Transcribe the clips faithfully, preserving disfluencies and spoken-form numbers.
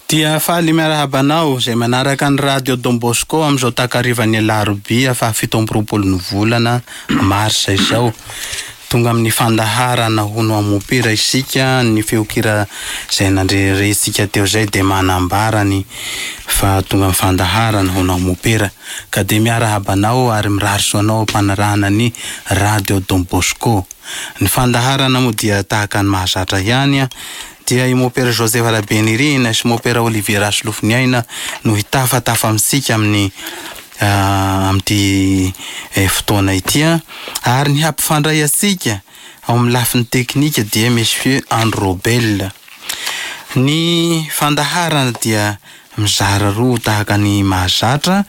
Dia faly miarahaba anao izay manaraka ny Radio Don Bosco amin'izao takarivan'ny alarobia fahafito amby roapolo ny volana marsa izao. Tonga amin'ny fandaharana hono amopera isika, ny feokira izay nandrerentsika teo izay dia manambara ny fa tonga amin'ny fandaharana hono amopera. Ka dia miarahaba anao ary mirary soa anao am-panarahana ny Radio Don Bosco. Ny fandaharana moa dia tahaka ny mahazatra ihany, dia i Mopera Joseph Rabenirina sy Mopera Olivier Rasolofoniaina no hitafatafa amintsika amin'ny amin'ity fotoana ity, ary ny hampifandray antsika ao amin'ny lafiny teknika dia Monsieur Andry Robel. Ny fandaharana dia mizara roa tahaka ny mahazatra.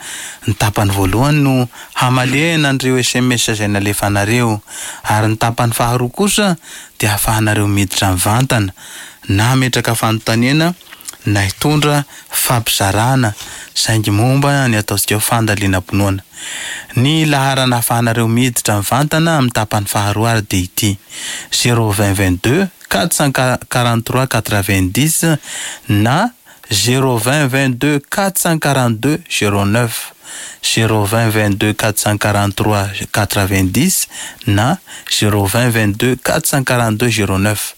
Ny tapany voalohany no hamalena an'ireo S M S izay nalefanareo, ary ny tapany faharoa kosa dia ahafahanareo miditra mivantana na hametraka fanontaniana na hitondra fampizarana saingy momba ny ataontsika fandalinam-pinoana. Ny laharana ahafahanareo miditra mivantana amin'ny tapany faharoa ary dia ity: zéro vingt vingt-deux quatre cent quarante-trois quatre-vingt-dix na zéro vingt vingt-deux quatre cent quarante-deux zéro neuf, zéro vingt vingt-deux quatre cent quarante-trois quatre-vingt-dix na zéro vingt vingt-deux quatre cent quarante-deux zéro neuf.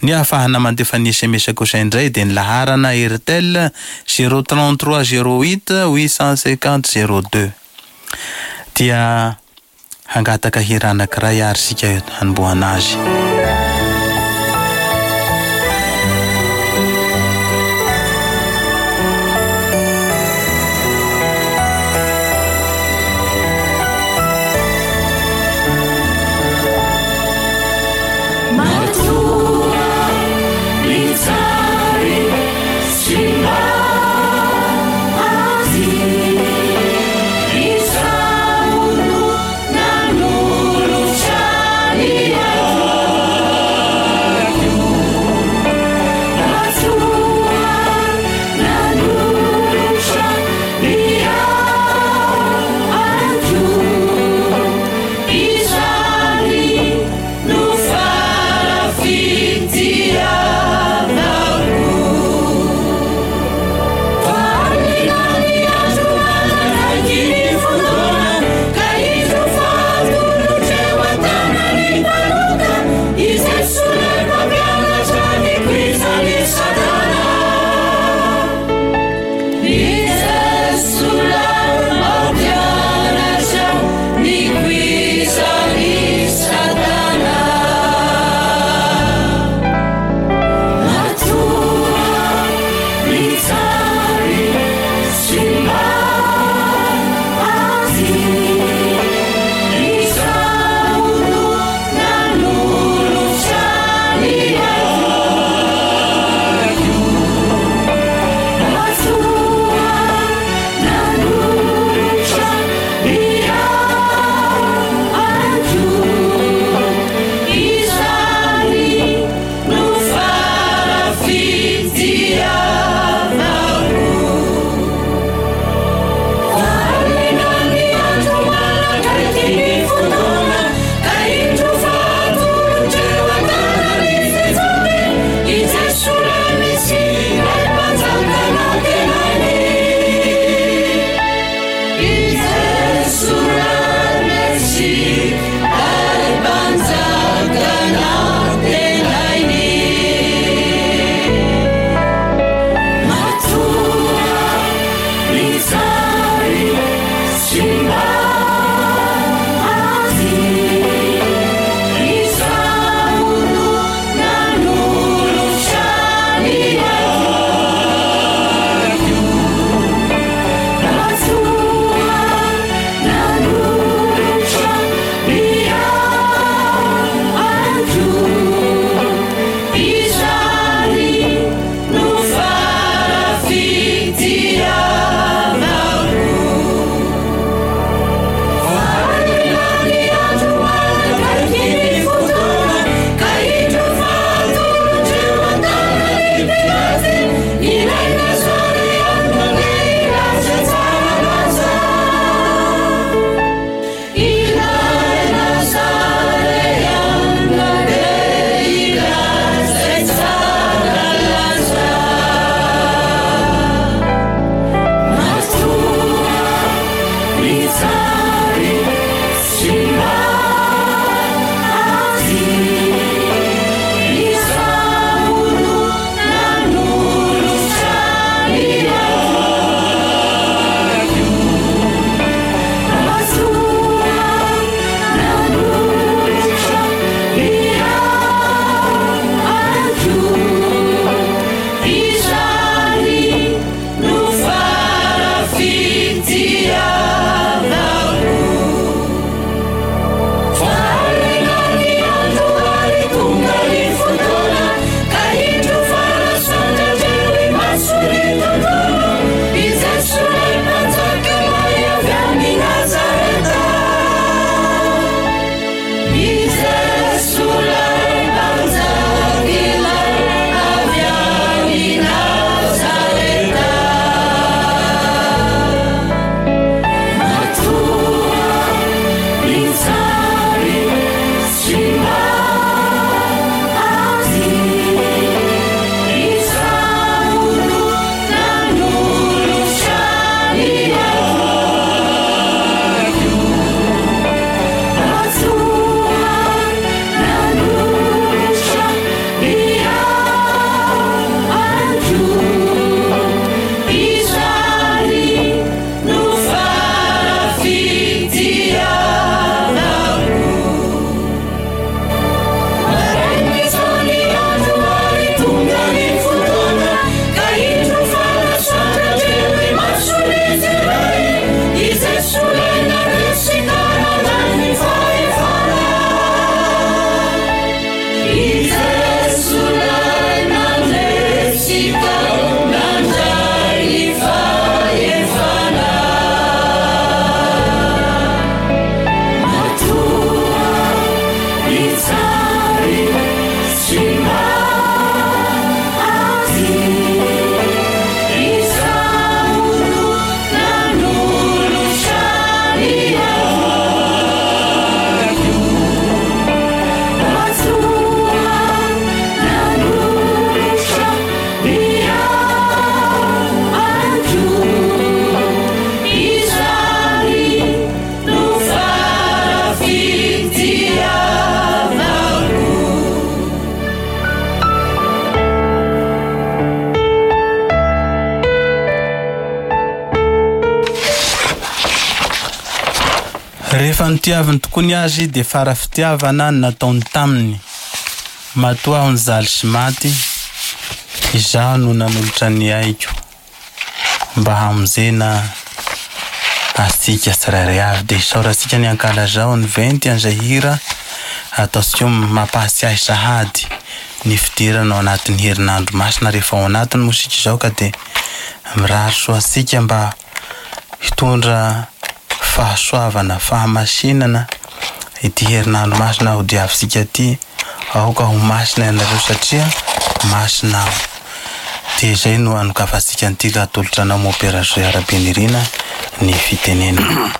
Ny ahafahana mandefa ny S M S kosa indray dia ny laharana Airtel zéro trente-trois zéro huit huit cent cinquante zéro deux. Dia hangataka hira anankiray ary isika hanombohana azy. Nanolotra ny Rehefa nitiaviny tokoa ny azy dia fara fitiavana no nataony taminy. Matoa aho nijaly sy maty, izaho no nanolotra ny aiko mba hamonjena antsika tsirairay avy. Dia isaorantsika ny ankalazao ny venty an'izay hira ataontsika mampahatsiahy sahady ny fidirana ao anatin'ny herinandro masina. Rehefa ao anatiny moa isika izao ka dia mirary soa antsika mba hitondra fahasoavana, fahamasinana ity herinandro masina ho diavintsika ity. Aoka ho masina ianareo satria masina aho. Dia izay no anokafantsika an'ity ka atolotra anao Mopera Zoe Rabenirina ny fitenenana.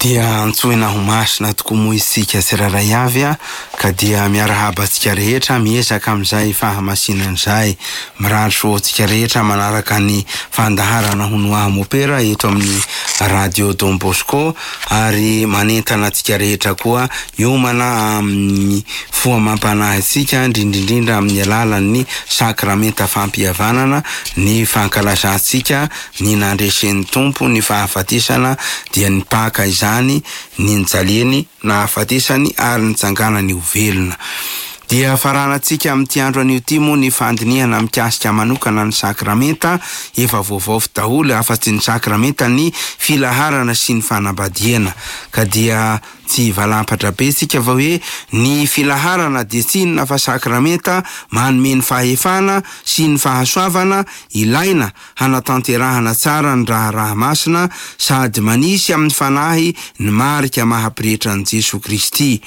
Dia antsoina ho masina tokoa moa isika tsirairay avy a, ka dia miarahaba antsika rehetra miezaka amin'izay fahamasinana izay. Mirary soa antsika rehetra manaraka ny fandaharana Hono Aho Mopera eto amin'ny Radio Don Bosco, ary manentana antsika rehetra koa hiomana amin'ny fo amam-panahy antsika, indrindrindrindra amin'ny alalan'ny sakramenta fampihavanana, ny fankalazantsika ny nandresen'ny Tompo ny fahafatesana, dia ny Paka izany, ny nijaliany, nahafatesany ary nitsanganany ho velona. Dia faranantsika amin'ity andro anio ity moa ny fandinihana mikasika manokana ny sakramenta. Efa voavaofy daholo afa-tsy ny sakramenta ny filaharana sy ny fanambadiana, ka dia tsy valampatra be tsika fa hoe ny filaharana dia tsy inona fa sakramenta manome ny fahefana sy ny fahasoavana ilaina hanatanterahana tsara ny raharaha masina, sady manisy amin'ny fanahy ny marika maha-pretra an'i Jesoa Kristy.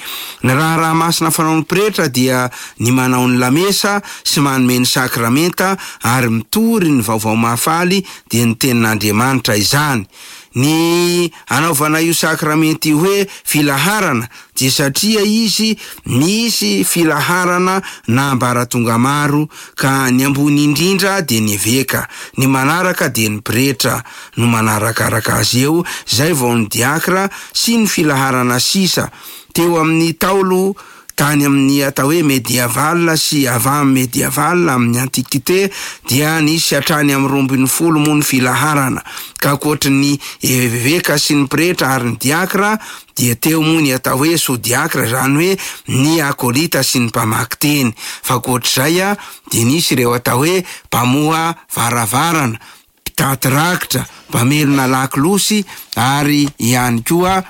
Ny raharaha masina fanaon'ny pretra dia ny manao ny lamesa sy manome ny sakramenta ary mitory ny vaovao mahafaly, dia ny tenin'Andriamanitra izany. Ny anaovana io sakramenta io hoe filaharana dia satria izy misy filaharana na ambaratonga maro, ka ny ambony indrindra dia ny eveka, ny manaraka dia ny pretra no manarakaraka azy eo, izay vao ny diakra sy ny filaharana sisa. Teo amin'ny taolo tany amin'ny atao hoe médiaval sy avant médiaval amin'ny antiquité dia nisy hatrany amin'ny roa ambin'ny folo moa ny filaharana, ka ankoatry ny eveka sy ny pretra ary ny diakra dia teo moa ny atao hoe sous-diakra, izany hoe ny akolita sy ny mpamaky teny. Fa ankoatr'izay a dia nisy ireo atao hoe mpamoha varavarana, mpitaty rakitra, mpamelona lakolosy ary ihany koa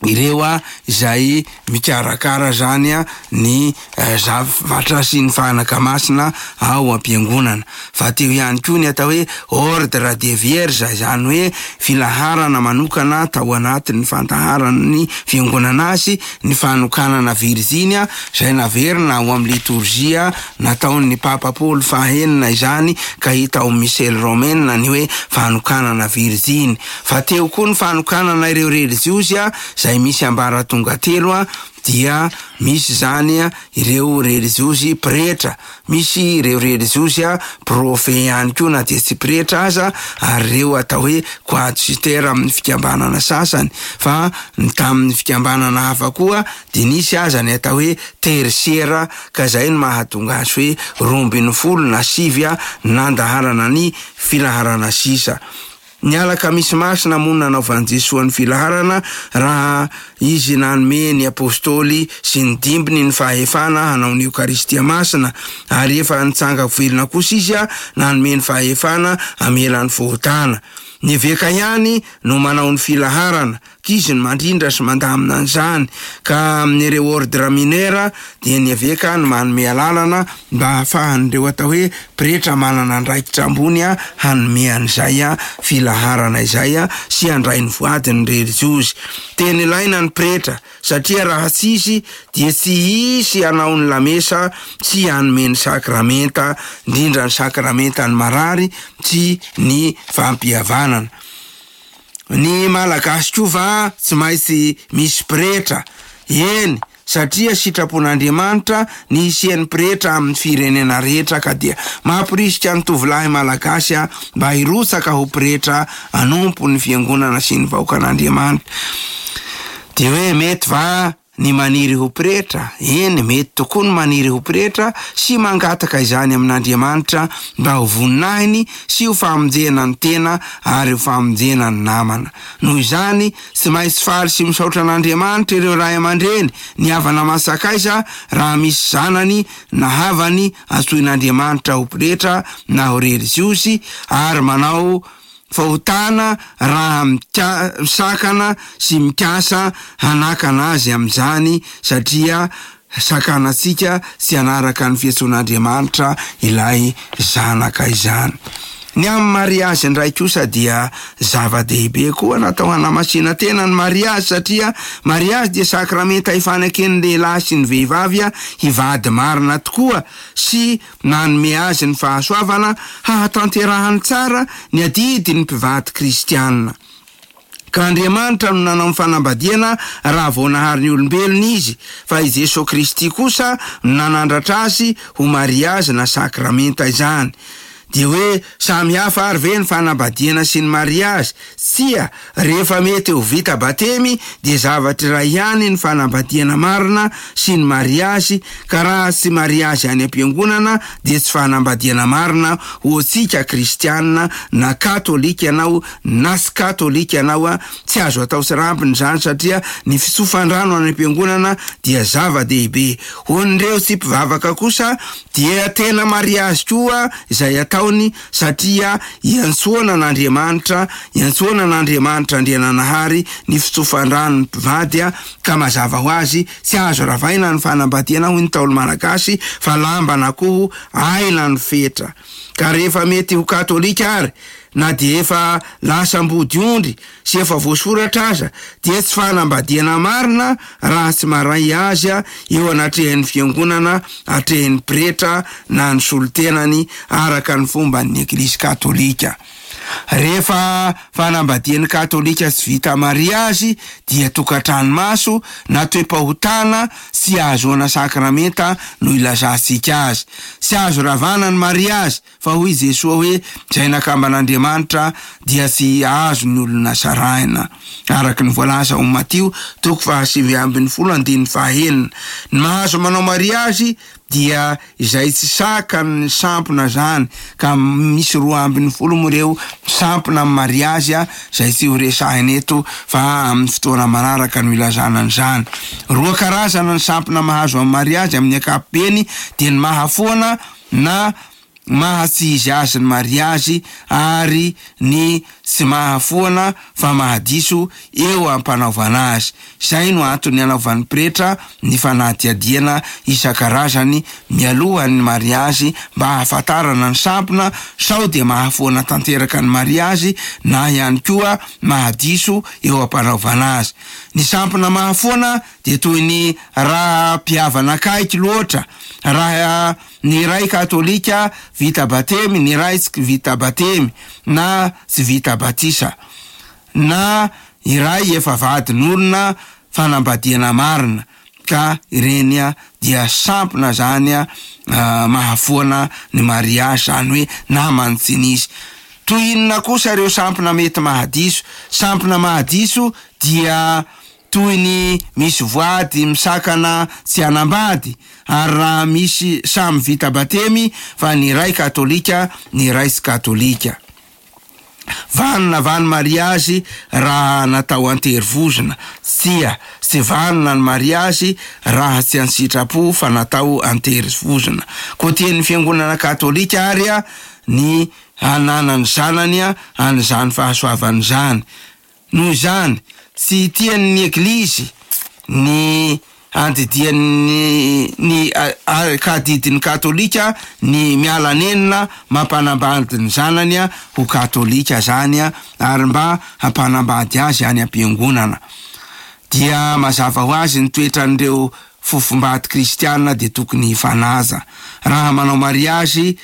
ireo a izay mikarakara zany a ny zavatra sy ny fanaka masina ao am-piangonana. Fa teo ihany koa ny atao hoe ordre des vierges, izany hoe filaharana manokana tao anatin'ny fandaharan'ny fiangonana azy, ny fanokanana virjiny izay naverina ao amin'ny litorjia nataon'ny Papa Paoly fahenina izany, ka hita ao Missel Romaine ny hoe fanokanana virjiny. Fa teo koa ny fanokanana ireo relijiozy a izay misy ambaratonga telo a, dia misy zany a ireo relijiozy pretra, misy ireo relijiozy a profe ihany koa na dia tsy pretra aza, ary ireo atao hoe coadjuteur amin'ny fikambanana sasany. Fa ny tamin'ny fikambanana hafa koa dia nisy aza ny atao hoe tertiaire, ka izay no mahatonga azy hoe roa ambin'ny folo na sivy a nandaharana ny filaharana sisa. Ny alakamisy masina moa no nanaovan'i Jesoa ny filaharana raha izy nanome ny apostoly sy ny dimbiny ny fahefana hanao ny Eokaristia masina, ary efa nitsanga velona kosa izy nanome ny fahefana hamela ny fahotana. Ny eveka ihany no manao ny filaharana, k'izy no mandrindra sy mandamina an'izany, ka amin'ireo ordre mineur dia ny eveka no manome alalana mba hahafahan'ireo atao hoe pretra manana andraikitra ambony hanome an'izay filaharana izay sy handray ny voadiny relijiozy. Tena ilaina ny pretra satria raha tsy izy dia tsy hisy hanao ny lamesa sy hanome ny sakramenta, indrindra ny sakramentan'ny marary sy ny fampihavanana. Ny Malagasy koa va tsy maintsy misy pretra? Eny, satria sitrapon'Andriamanitra ny hisian'ny pretra amin'ny firenena rehetra, ka dia mampirisika ny tovolahy Malagasy mba hirotsaka ho pretra hanompo ny fiangonana sy ny vahoakan'Andriamanitra. Dia hoe mety va ny maniry ho pretra? Eny, mety tokoa ny maniry ho pretra sy mangataka izany amin'Andriamanitra mba ho voninahiny sy ho famonjena ny tena ary ho famonjena ny namana. Noho izany, tsy maintsy faly sy misaotra an'Andriamanitra ireo ray aman-dreny, ny havana aman-tsakaiza raha misy zanany na havany antsoin'Andriamanitra ho pretra na ho relijiozy, ary manao fahotana raha misakana sy mikasa hanakana azy amin'izany, satria sakanantsika tsy hanaraka ny fiantsoan'Andriamanitra ilay zanaka izany. Ny amin'ny mariazy indray kosa dia zava-dehibe koa natao hanamasina tena ny mariazy, satria mariazy dia sakramenta ifanaken'ny lehilahy sy ny vehivavy hivady marina tokoa sy nanome azy ny fahasoavana hahatanterahany tsara ny adidin'ny mpivady kristianina. Ka Andriamanitra no nanao ny fanambadiana raha vao nahary ny olombelona izy, fa i Jesoa Kristy kosa no nanandratra azy ho mariazy na sakramenta izany. Dia hoe samy hafa ary ve ny fanambadiana sy ny mariazy? Tsia, rehefa mety ho vita batemy dia zavatra iray ihany ny fanambadiana marina sy ny mariazy, ka raha tsy mariazy any am-piangonana dia tsy fanambadiana marina ho antsika kristianina, na katolika ianao na tsy katolika ianao, tsy azo atao tsirambina izany satria ny fitsofan-drano any am-piangonana dia zava-dehibe. Ho an'ireo tsy mpivavaka kosa dia tena mariazy koa izay ataony, satria iantsoana an'Andriamanitra, iantsoana an'Andriamanitra Andriananahary ny fitsofan-drano ny mpivady, ka mazava ho azy tsy azo ravaina ny fanambadiana hoy ny Ntaolo Malagasy, fa lamban'akoho aina ny fetra. Ka rehefa mety ho katolika ary na dia efa lasa ambody ondry sy efa voasoratra aza dia tsy fanambadiana marina raha tsy maray azy eo anatrehan'ny fiangonana, atrehin'ny pretra na ny solontenany araka ny fomban'ny Eglizy katolika. Rehefa fanambadian'ny katolika tsy vita mariazy dia tokantrano maso na toe-pahotana tsy ahazoana sakramenta no ilazantsika azy. Tsy azo ravana ny mariazy, fa hoy Jesoa hoe izay nakamban'Andriamanitra dia tsy azo ny olona sarahina, araka ny voalaza ao Matio toko fahasivy ambin'ny folo andininy fahaenina. Ny mahazo manao mariazy dia izay tsy sakan'ny sampona zany, ka misy roa ambin'ny folo moa ireo sampona amin'ny mariazy izay tsy ho resahina eto fa amin'ny fotoana manaraka no ilazana an'izany. Roa karazana ny sampona mahazo amin'ny mariazy amin'ny ankapobeny dia ny mahafoana na maha tsy izy azy ny mariazy ary ny tsy mahafoana fa mahadiso eo am-panaovana azy. Izay no antony anaovan'ny pretra ny fanadihadiana isan-karazany mialohan'ny mariazy mba hahafantarana ny sampona sao dia mahafoana tanteraka ny mariazy na ihany koa mahadiso eo am-panaovana azy. Ny sampona mahafoana dia toy ny raha mpihavana akaiky loatra, raha ny iray katolika vita batemy, ny iray tsy vita batemy na tsy vita batisa, na iray efa vadin'olona fanambadiana marina, ka ireny dia sampona zany mahafoana ny mariazy, zany hoe namany tsy nisy. Toy inona kosa ireo sampona mety mahadiso? Sampona mahadiso dia toy ny misy voady misakana tsy hanambady, ary raha misy samy vita batemy fa ny iray katolika ny iray tsy katolika. Vanona va ny mariazy raha natao an-terivozona? Tsia, tsy vanona ny mariazy raha tsy an-tsitrapo fa natao an-terivozona. Koa tian'ny fiangonana katolika ary a ny hananany zanany a an'izany fahasoavana izany. Noho izany, tsy tian'ny eglizy ny andidian'ny ny kadidin'ny katolika ny miala nenina mampanambady ny zanany a ho katolika zany a, ary mba hampanambady azy any am-piangonana. Dia mazava ho azy ny toetran'ireo fofombady kristiana dia tokony hifanaja. Raha manao mariazy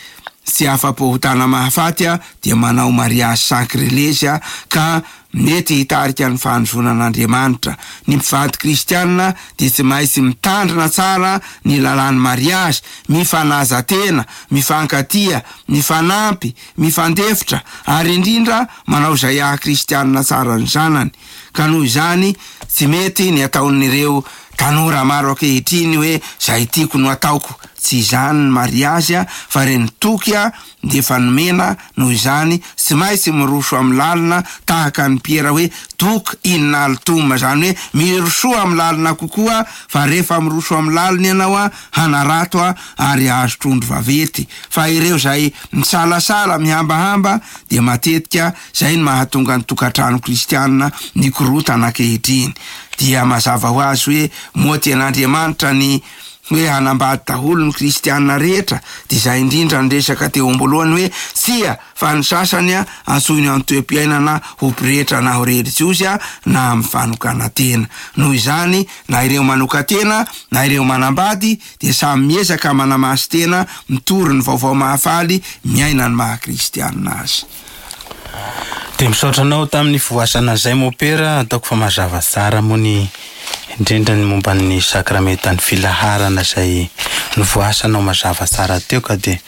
tsy afa-pahotana mahafaty a dia manao mariazy sakrilezy a, ka mety hitarika ny fanozonan'Andriamanitra. Ny mpivady kristiana dia tsy maintsy mitandrina tsara ny lalàn'ny mariazy, mifanaja tena, mifankatia, mifanampy, mifandefitra, ary indrindra manao izay haha kristiana tsara ny zanany. Ka noho izany tsy mety ny ataon'ireo tanora maro ankehitriny hoe zay tiako no ataoko. Tsy izany ny mariazy a, fa reny toky a dia efa nomena. Noho izany tsy maintsy miroso amin'ny lalina tahaka ny Piera hoe dok in altum, zany hoe mirosoa amin'ny lalina kokoa, fa rehefa miroso amin'ny lalina ianao a hanarato a ary azo trondro vaventy. Fa ireo zay misalasala mihambahamba dia matetika zay ny mahatonga ny tokantrano kristianina nikorotana ankehitriny. Dia mazava ho azy hoe moa tian'Andriamanitra ny hoe hanambady daholo ny kristianina rehetra, dia izay indrindra ny resaka teo am-boalohany hoe tsia, fa ny sasany a antsoiny amin'ny toe-piainana ho pretra na ho relijiozy a na amin'ny fanokana-tena. Noho izany na ireo manokan-tena na ireo manambady dia samy miezaka manamasy tena, mitory ny vaovao mahafaly, miaina ny maha kristianina azy. Dia misaotra anao tamin'ny voasana izay mopera, ataoko fa mazava tsara moa ny indrindra ny momba ny sakramentan'ny filaharana izay novoasanao mazava tsara teo, ka dia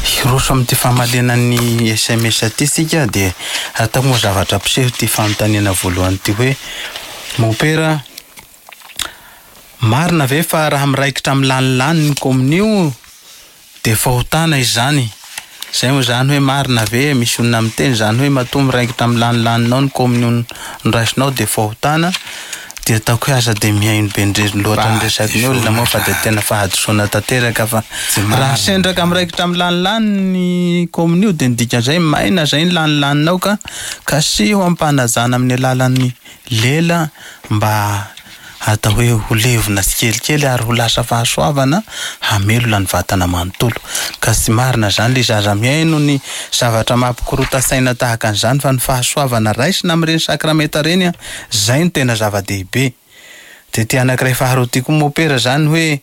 hiroso amin'ity famalena ny S M S ity isika. Dia ataoko moa zavatra mpiseho ity fanontaniana voalohany ity hoe mopera, marina ve fa raha miraikitra amin'ny lanilany ny kominio dia fahotana izany? Zay moa zany hoe marina ve misy olona miteny zany hoe matoa miraikitra amin'ny lanilaninao ny kominio noraisinao dia fahotana? Dia ataoko hoe aza dia mihaino be indrindra loatra ny resaky ny olona moa fa dia tena fahadisoana tanteraka, fa raha sendraka miraikitra amin'ny lanilany ny kominio dia ny dikan'izay maina zay ny lanilaninao, ka kasiho ampanajana amin'ny alalan'ny lela mba atao hoe ho levona tsikelikely ary ho lasa fahasoavana hamelona ny vatana manontolo. Ka tsy marina zany le zaza mihaino ny zavatra mampikorota saina tahaka an'izany, fa ny fahasoavana raisina amin'ireny sakramenta ireny a, zay no tena zava-dehibe. Dia ty anankiray faharoa ty koa mopera zany hoe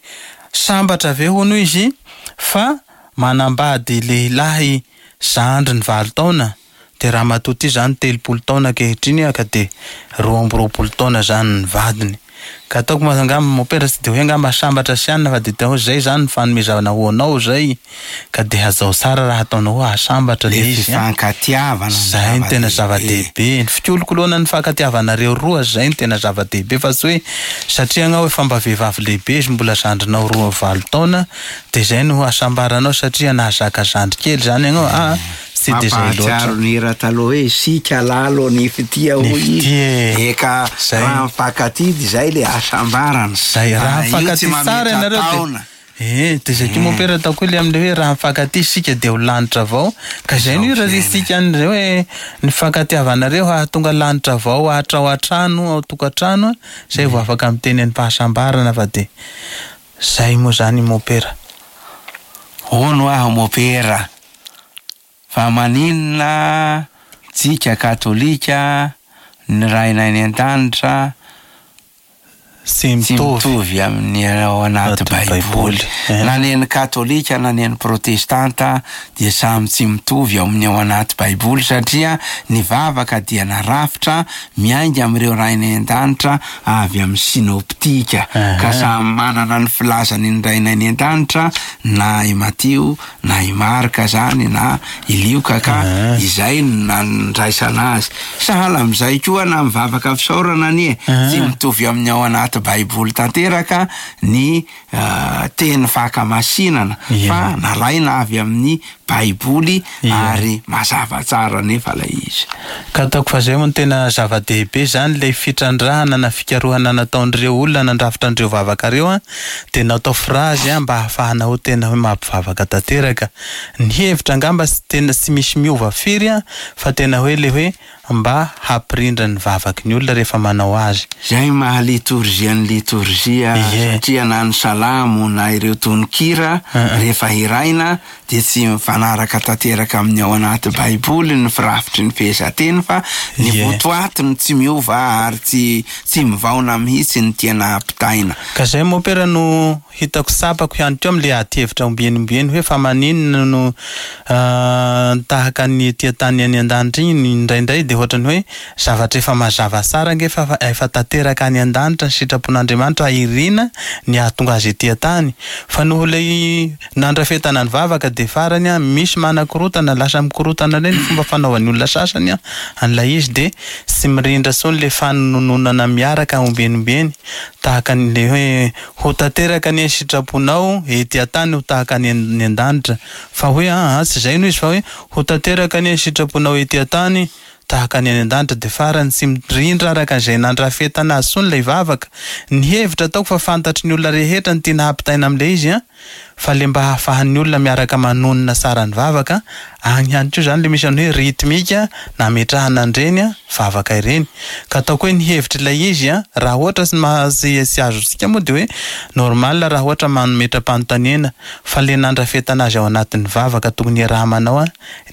sambatra ve hono izy fa manambady lehilahy zandriny valo taona, dia ramatoa ty zany telopolo taona ankehitriny ka dia roa amby roapolo taona zany ny vadiny. Ka ataoko moa angamba mopera tsy dia hoe angamba sambatra sy anina, fa dia tena hoe zay zany ny fanomezana ho anao zay, ka dia hazao tsara raha ataonao hoe ahasambatra le Le izy, a. fifankatiavana ny Zay no tena zava-dehibe. zava-dehibe. Ny fikolokoloana ny fankatiavanareo roa zay no tena zava-dehibe, fa tsy hoe satria anao efa mba vehivavy lehibe izy mbola zandrinao roa valo taona dia zay no hasambaranao satria nahazaka zandry kely zany ianao. Ah, tsy dia zay loatra. Mampahatsiaro ny hira taloha hoe isika lalo ny fitia Ny hoy izy. fitia e. Eka, Zay. raha mifankatia dia zay le hasambarana. Zay, raha Raha io mifankatia tsy tsara mametra ianareo dia taona. Eh, dia zay koa mopera ataoko hoe le amin'ilay hoe raha mifankatia isika dia ho lanitra avao. Ka zay no Zao irarisika an'izay hoe ny fankatiavanareo hahatonga lanitra avao hatrao an-trano, ao tokantrano, zay vao afaka miteny ny fahasambarana, fa dia zay moa zany mopera. Hono aho mopera, fa maninona tsika katolika ny Rainay any an-danitra Tsy tsy mitovy. mitovy amin'ny ao anaty Anaty Baiboly. Baiboly. Eh. Na ny katolika na ny protestanta dia samy tsy mitovy ao amin'ny ao anaty Baiboly, satria ny vavaka dia narafitra miainga amin'ireo Rainay an-danitra avy amin'ny sinoptika. Eh. Ka samy manana ny filazany ny Rainay any an-danitra, na i Matio na i Marka zany na i Lioka, ka Eh. izay no nandraisana azy. Sahala amin'izay koa na mivavaka fisaorana anie, Eh. tsy mitovy amin'ny ao anaty anaty Baiboly tanteraka ny teny fankamasinana fa nalaina avy amin'ny Baiboly ary mazava tsara nefa ilay izy. Ka ataoko fa zay moa no tena zava-dehibe zany, ilay fitrandrahana na fikarohana nataon'ireo olona nandrafitra an'ireo vavaka ireo a, dia natao frazy a mba hahafahana ho tena hoe mampivavaka tanteraka. Ny hevitra angamba tsy tena tsy misy miova firy a, fa tena hoe le hoe mba hampirindra ny vavaky ny olona rehefa manao azy. Zay maha litorjia ny litorjia, satria na ny salamo na ireo tononkira rehefa hiraina dia tsy mifanaraka tanteraka amin'ny ao anaty Baiboly ny firafitry ny fehezanteny, fa ny votoatiny tsy miova ary tsy tsy mivaona mihitsy ny tiana ampitaina. Ka zay mompera no hitako tsapako ihany koa amin'ilay ady hevitra ombieny ombieny hoe fa maninona no tahaka ny ety an-tany any an-danitra iny indraindray, dia ohatrany hoe zavatra efa mazava tsara ange fa efa tanteraka any an-danitra ny sitrapon'Andriamanitra irina ny hahatonga azy ety an-tany, fa noho ilay nandrafetana ny vavaka dia farany a misy manakorotana, lasa mikorotana indray ny fomba fanaovan'ny olona sasany a an'ilay izy, dia tsy mirindra intsony ilay fanononana miaraka ombieny ombieny tahaka an'ilay hoe ho tanteraka ny sitraponao ety an-tany ho tahaka ny any an-danitra, fa hoe aa tsy izay no izy, fa hoe ho tanteraka ny sitraponao ety an-tany tahaka ny any an-danitra, dia farany tsy mirindra araka izay nandrafetana azy intsony ilay vavaka. Ny hevitra ataoko fa fantatry ny olona rehetra ny tiana hampitaina amin'ilay izy a, fa le mba hahafahan'ny olona miaraka manonona tsara ny vavaka agny ihany koa zany le misy any hoe rythmique nametrahana an'ireny a vavaka ireny. Ka ataoko hoe ny hevitra ilay izy a, raha ohatra tsy maha- tsy azontsika moa dia hoe normal raha ohatra mametra-panontaniana, fa le nandrafetana azy ao anatin'ny vavaka tokony iaraha-manao a,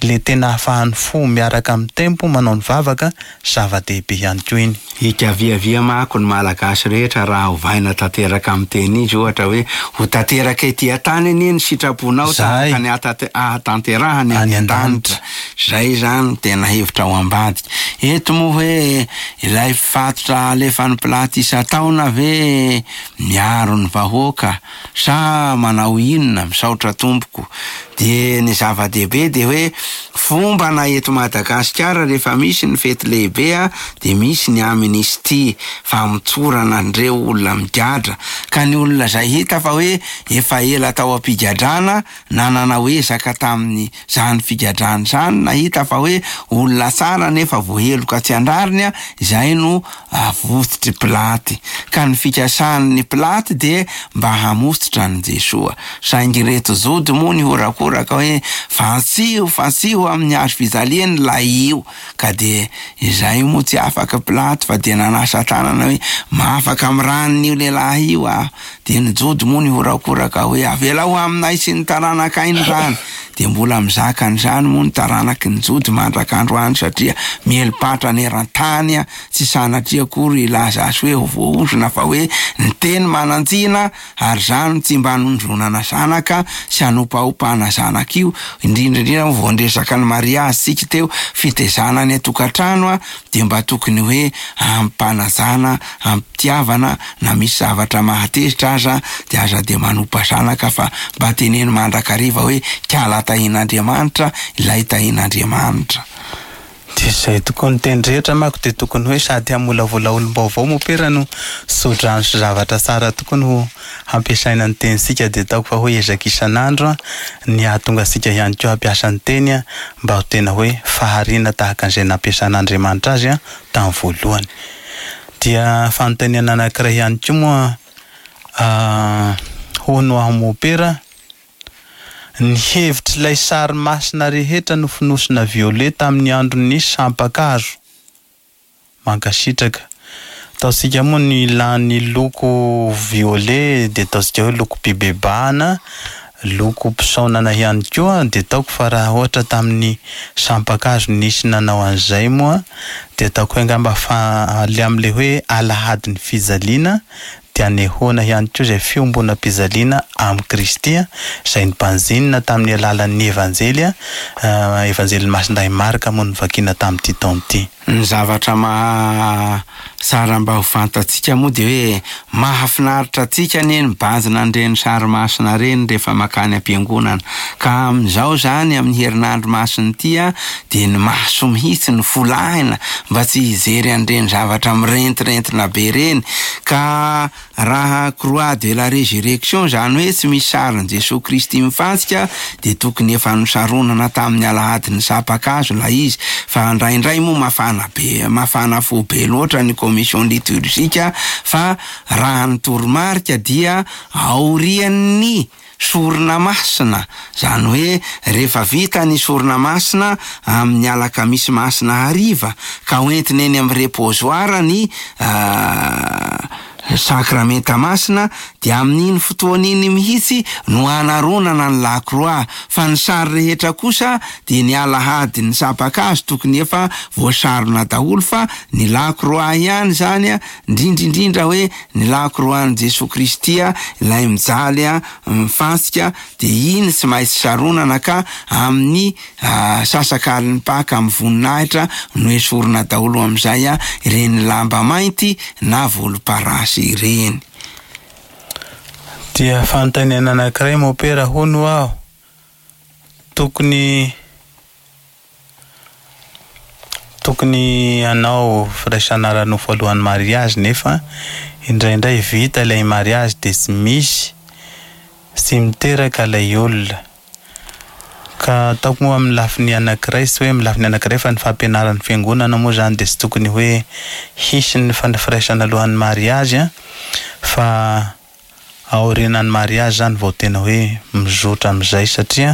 le tena ahafahan'ny fo miaraka amin'ny tempo manao ny vavaka, zava-dehibe ihany koa iny. Ikaviavia manko ny Malagasy rehetra raha ovaina tanteraka amin'ny teny izy, ohatra hoe ho tanteraka ety an-tany anie ny sitraponao tahaka ny ahatanterahany any an-danitra. Zay zany tena hevitra ao ambadika. Eto moa hoe ilay fatotra alefan'ny Pilaty isan-taona ve miaro ny vahoaka sa manao inona? Misaotra tompoko. Dia ny zava-dehibe dia hoe fomba na eto Madagasikara rehefa misy ny fety lehibe a dia misy ny amnistie, famotsorana an'ireo olona migadra, ka ny olona izay hita fa hoe efa ela tao am-pigadrana na nanao ezaka tamin'ny zany figadrana zany, na hita fa hoe olona tsara nefa voaheloka tsy an-drariny a, izay no avototry Pilaty. Ka ny fikasan'ny Pilaty dia mba hamototra an'i Jesoa, saingy ireto Jody moa ny horakoraka hoe fantsiho fantsiho amin'ny hazo fijaliany ilay io, ka dia izay moa tsy afaka Pilaty fa dia nanasa tanana hoe mahafaka amin'ny ranon'io lehilahy io aho. Dia ny Jody moa ny horakoraka hoe avelao aminay sy ny taranakay ny rany. Dia mbola mizaka an'izany moa ny taranaky ny Jody mandrak'androany, satria mieli-patra eran-tany a, tsy sanatria akory hilaza azy hoe ho voaozona, fa hoe ny teny manan-tsina, ary zany tsy mba hanondronana zanaka sy hanompaompana zanaka io, indrindra indrindra moa vao niresaka ny mariazy tsika teo, fitezana any an-tokantrano a, dia mba tokony hoe ampanajana, ampitiavana, na misy zavatra mahatezitra aza dia aza dia manompa zanaka, fa mba teneno mandrakariva hoe kala tahin'Andriamanitra ilay tahin'Andriamanitra. Dia izay tokoa ny teny rehetra manko dia tokony hoe sady hamolavola olom-baovao mompera no tsodrano sy zavatra tsara tokoa no hampiasaina ny tenintsika, dia ataoko fa hoe ezaka isan'andro ny hahatonga antsika ihany koa hampiasa ny teny mba ho tena hoe fahariana tahaka an'izay nampiasan'Andriamanitra azy tamin'ny voalohany. Dia fanontaniana anankiray ihany koa moa hono aho mompera, ny hevitr'ilay sary masina rehetra nofonosina violet tamin'ny andron'ny sampakazo. Mankasitraka. Ataontsika moa ny lany loko violet dia ataontsika hoe loko pibebahana, loko mpisaonana ihany koa, dia ataoko fa raha ohatra tamin'ny sampakazo nisy nanao an'izay moa dia ataoko hoe angamba fa le amin'ilay hoe alahadin'ny fijaliana dia anehoana ihany koa izay fiombonam-pijaliana amin'i Kristy izay nibanjinina tamin'ny alalan'ny Evanjely, Evanjelin'ny Masindahy Marka moa novakiana tamin'ity taona ity. Ny zavatra maha tsara mba ho fantatsika moa de hoe mahafinaritra antsika anie ny mibanjina an'ireny sary masina ireny rehefa makany am-piangonana. Ka amin'izao zany, amin'ny herinandro masina ity a, de ny maso mihitsy no folahina mba tsy hijery an'ireny zavatra mirentirentina be ireny. Ka raha croix de la résurrection, zany hoe tsy misy sarin'i Jesoa Kristy mifantsika, de tokony efa nosaronana tamin'ny alahadin'ny sampan-kazo ilay izy. Fa indraindray moa mafana be, mafana fo be loatra ny commission liturgique, fa raha ny toromarika dia aorian'ny sorona masina, zany hoe rehefa vita ny sorona masina amin'ny alakamisy masina hariva ka hoentina eny amin'ny reposoir ny sakramenta masina, de amin'iny fotoana iny mihitsy no anaronana ny la croix. Fa ny sary rehetra kosa de ny alahady ny sampan-kazo tokony efa voasarona daholo, fa ny la croix ihany zany a, indrindrindrindra hoe ny la croix-n'i Jesoa Kristy a, ilay mijaly a, mifantsika, de iny tsy maintsy saronana, ka amin'ny sasakalin'ny Paka amin'ny voninahitra no esorina daholo amin'izay a ireny lamba mainty na volomparasy ireny. Dia fanontaniana anankiray, mopera, hono aho, tokony tokony hanao firaisana ara-nofo alohan'ny mariazy, nefa indraindray vita ilay mariazy de tsy misy, tsy miteraka ilay olona. Ka ataoko moa amin'ny lafiny anankiray, tsy hoe amin'ny lafiny anankiray, fa ny fampianaran'ny fiangonana moa zany de tsy tokony hoe hisy ny firaisana alohan'ny mariazy a, fa aorianan'ny mariazy zany vao tena hoe mizotra amin'izay, satria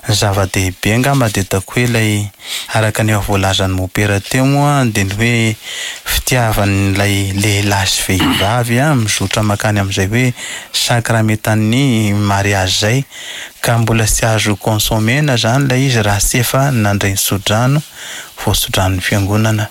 zava-dehibe angamba de ataoko hoe ilay araka ny efa voalazan'ny mopera teo moa, de ny hoe fitiavan'ilay lehilahy sy vehivavy a mizotra makany amin'izay hoe sakramentan'ny mariazy zay, ka mbola tsy azo consommena zany ilay izy raha tsy efa nandray ny tsodrano voatsodranon'ny fiangonana.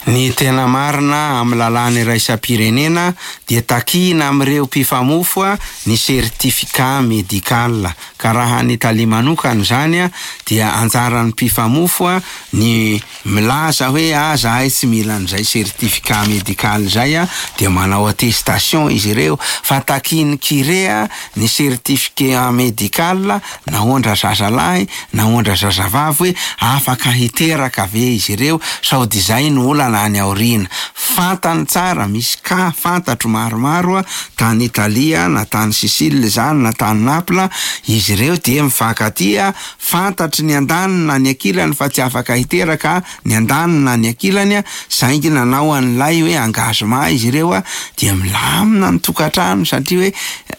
Ny tena marina, amin'ny lalàna iraisam-pirenena dia takina amin'ireo mpifamofo a ny certificat médical. Ka raha ny Italia manokana zany a, dia anjaran'ny mpifamofo a ny milaza hoe a zahay tsy mila an'izay certificat médical zay a, de manao attestation izy ireo. Fa takiny curé a ny certificat médical, na ondra zazalahy na ondra zazavavy, hoe afaka hiteraka ve izy ireo, sao de zay no olana any aoriana. Fantany tsara, misy ka fantatro maromaro a tany Italia, na tany Sicile zany na tany Naples, izy ireo dia mifankatia, fantatry ny andaniny na ny ankilany fa tsy afaka hiteraka ny andaniny na ny ankilany a, saingy nanao an'ilay hoe engagement izy ireo a, dia milamina ny tokantrano, satria hoe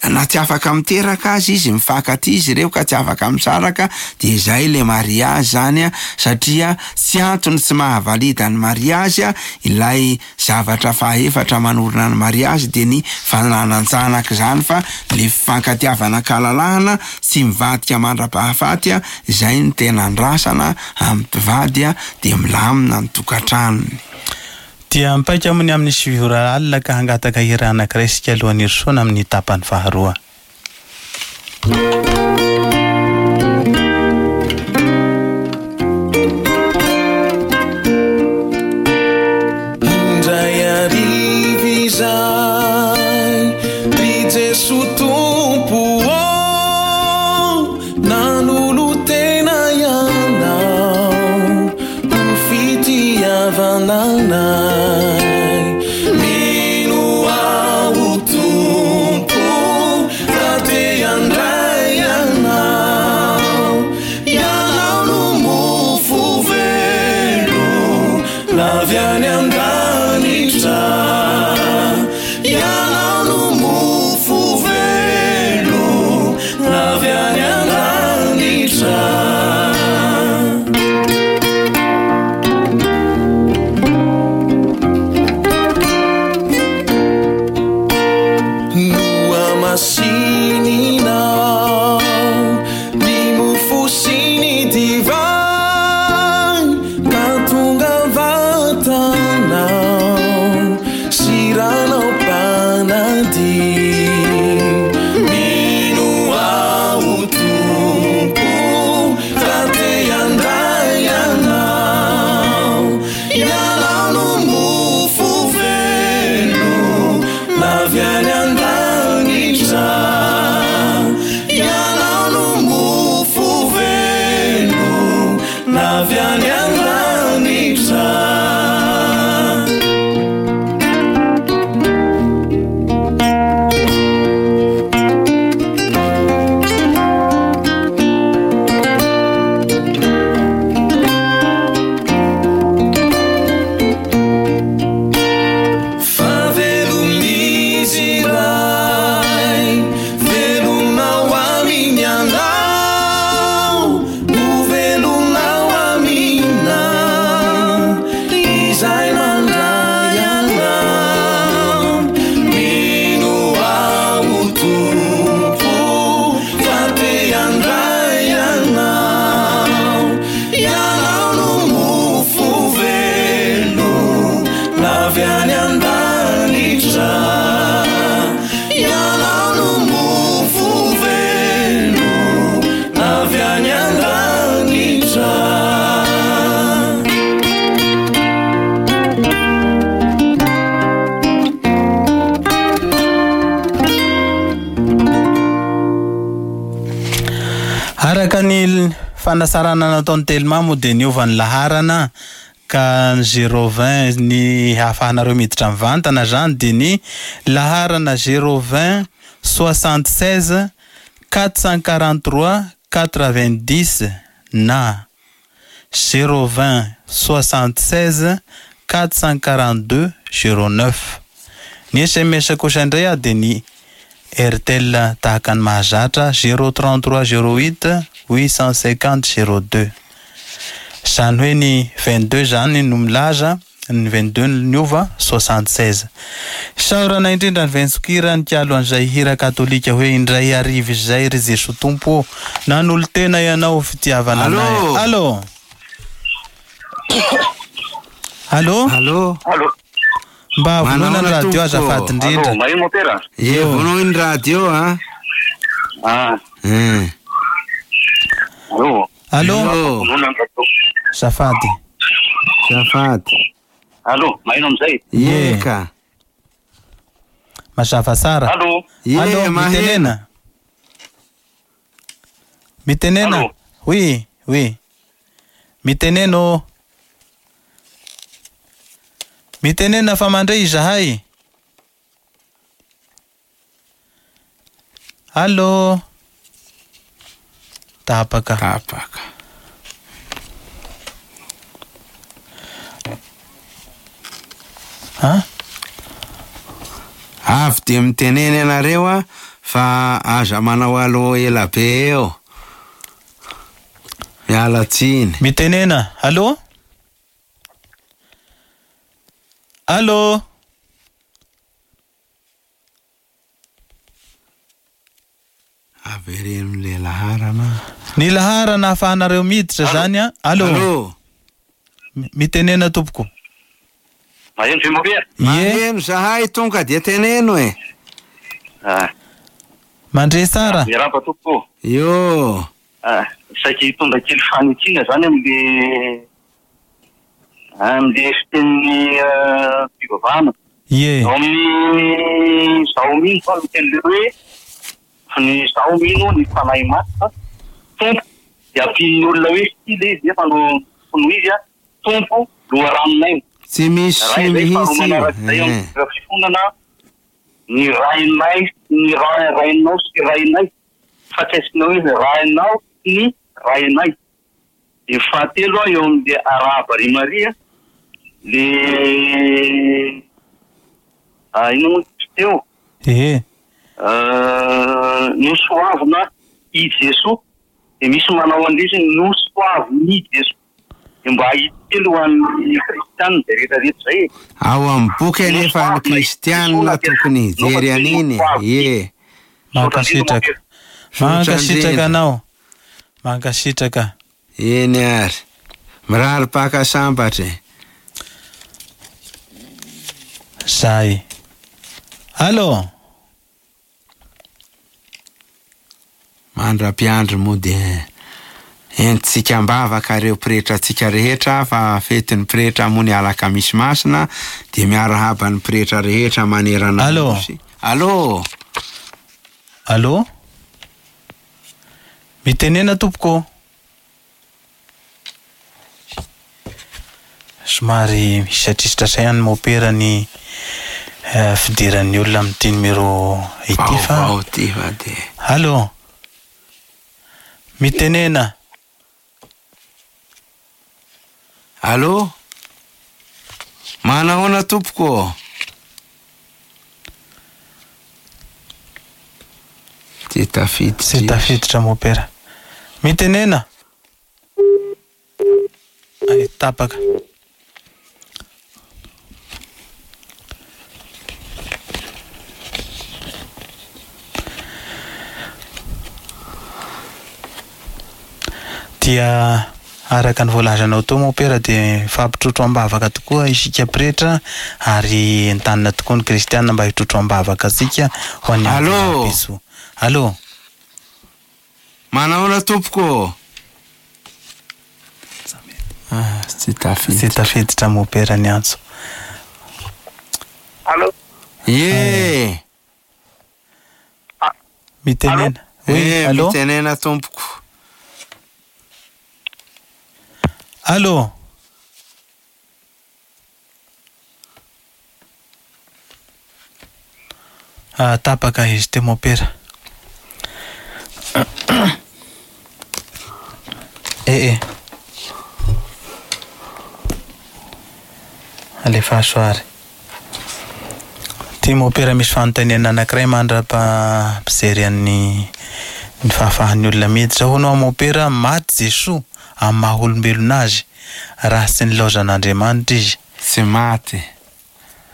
na tsy afaka miteraka azy izy, mifankatia izy ireo ka tsy afaka misaraka, de zay le mariage zany a. Satria tsy antony tsy mahavalida ny mariage a ilay zavatra fahaefatra manorina ny mariage, de ny fananan-janaka zany, fa le fifankatiavana kalalahana tsy mivadika mandra-pahafaty a, zay ny tena andrasana amin'ny mpivady a, de milamina ny tokantranony. Dia mipaika moa ny amin'ny sivy ora alina, ka hangataka hira anankiray isika alohan'ny hirosoana amin'ny tapany faharoa. Indray hariva izay, ry Jesoa Tompo ô, nanolo-tena ianao ho fitiavana anay. Mino aho Tompo fa te handray ianao, ianao no mofo velona avy any an-danitra, ianao no mofo velona avy any an-danitra. Ny fanasarana nataon'ny Telma moa dia niova ny laharana ka ny zéro vingt ny ahafahanareo miditra mivantana zany dia ny laharana zéro vingt soixante seize quatre cent quarante trois quatre vingt dix na zéro vingt soixante seize quatre cent quarante deux zéro neuf. Ny S M S kosa indray a dia ny Airtel tahaka ny mahazatra zéro trente trois zéro huit huit cent cinquante zéro deux. Zany hoe ny vingt deux zany no milaza ny vingt deux niova soixante seize. Saorana indrindra ny Ventsokira nikalo an'izay hira katolika hoe indray arivo izay ry Jesoa Tompo nanolo-tena ianao fitiavana anay. Allô. Allô. Allô. Allô. Mba vonoina ny radio azafady indrindra. Allô, maheno mopera? Ie, vonoina ny radio a. Ah. Eh. Allô. Allô. Vonoina ny radio. Zafady. Zafady. Allô, maheno amizay? Ie ka. Mazava tsara. Allô. Allô, mitenena. Mitenena. Oui, oui. Miteneno. Mitenena fa mandray izahay. Allô. Tapaka. Tapaka. Ha? Avy dia mitenena ianareo a fa aza manao allô ela be eo. Miala tsiny. Mitenena. Allô? Allô? Avereno le laharana. Ny laharana ahafahanareo miditra zany a. Allô. Allô. Mitenena tompoko. Maheno ve mopera? Maheno zahay tonga dia teneno e. Ah. Mandre tsara. Miarahaba tompoko. Io. Ah, saika hitondra kely fanitsiana zany am'le am'le fitenin'ny fivavahana. Ie. Ao amin'ny zaho mino fa miteny le hoe ny zaho mino ny fanahy masina tompo dia ampian'ny olona hoe sy le izy nefa no no izy a tompo loharanonay. Tsy misy Raha izay mihitsy. manaraka izay amin'ny fifonana ny rainay ny ra- rainao sy rainay fa tsy asiana hoe rainao sy ny rainay. Dia fahatelo a eo amin'le arahaba ry Maria le ah, ino moa ty teo? Ehe. Euh, nosoavina i Jesoa dia misy manao an'izy nosoavin'i Jesoa dia mba hitelo ho an'ny kristianina izay rehetrarehetra izay e. Ao amin'ny boky anefa ny kristianina tokony hijery an'iny. Ie. Mankasitraka. Mankasitraka anao. Mankasitraka. Eny ary. Mirary paka sambatra e. Zay. Allô. Mandra-piandry moa dia entintsika am-bavaka ireo pretra antsika rehetra fa fetin'ny pretra moa ny alakamisy masina dia miarahaba ny pretra rehetra manerana ny Allô. nosy. Allô. Allô. Mitenena tompoko. Somary misatr'isitra ihany mopera ny eh, fidiran'ny olona amin'ity numéro ity fa. Vaovao ty fa dia. Allô. Mitenena. Allô. Manahoana tompoko? Tsy tafiditra. Tsy tafiditra mopera. Mitenena. Ay, tapaka. Dia araka ny voalazanao teo mopera dia mifampitrotro am-bavaka tokoa isika pretra ary entanina tokoa ny kristianina mba hitrotro am-bavaka antsika ho an'ny Allô. Jesoa. Allô. Manahoana tompoko? Ah, tsy tafiditra. Tsy tafiditra mopera ny antso. Allô. Ie. Mitenena. Oui, Eh, allô. mitenena tompoko. Allô. Ah, tapaka izy teo mopera. Eh eh. Alefa soary. Ty mopera misy fanontaniana anankiray mandra-pampijery an'ny ny fahafahan'ny olona miditra. Hono aho mopera, maty Jesoa amin'ny maha olombelona azy raha tsy nilaozan'Andriamanitra izy. Tsy maty.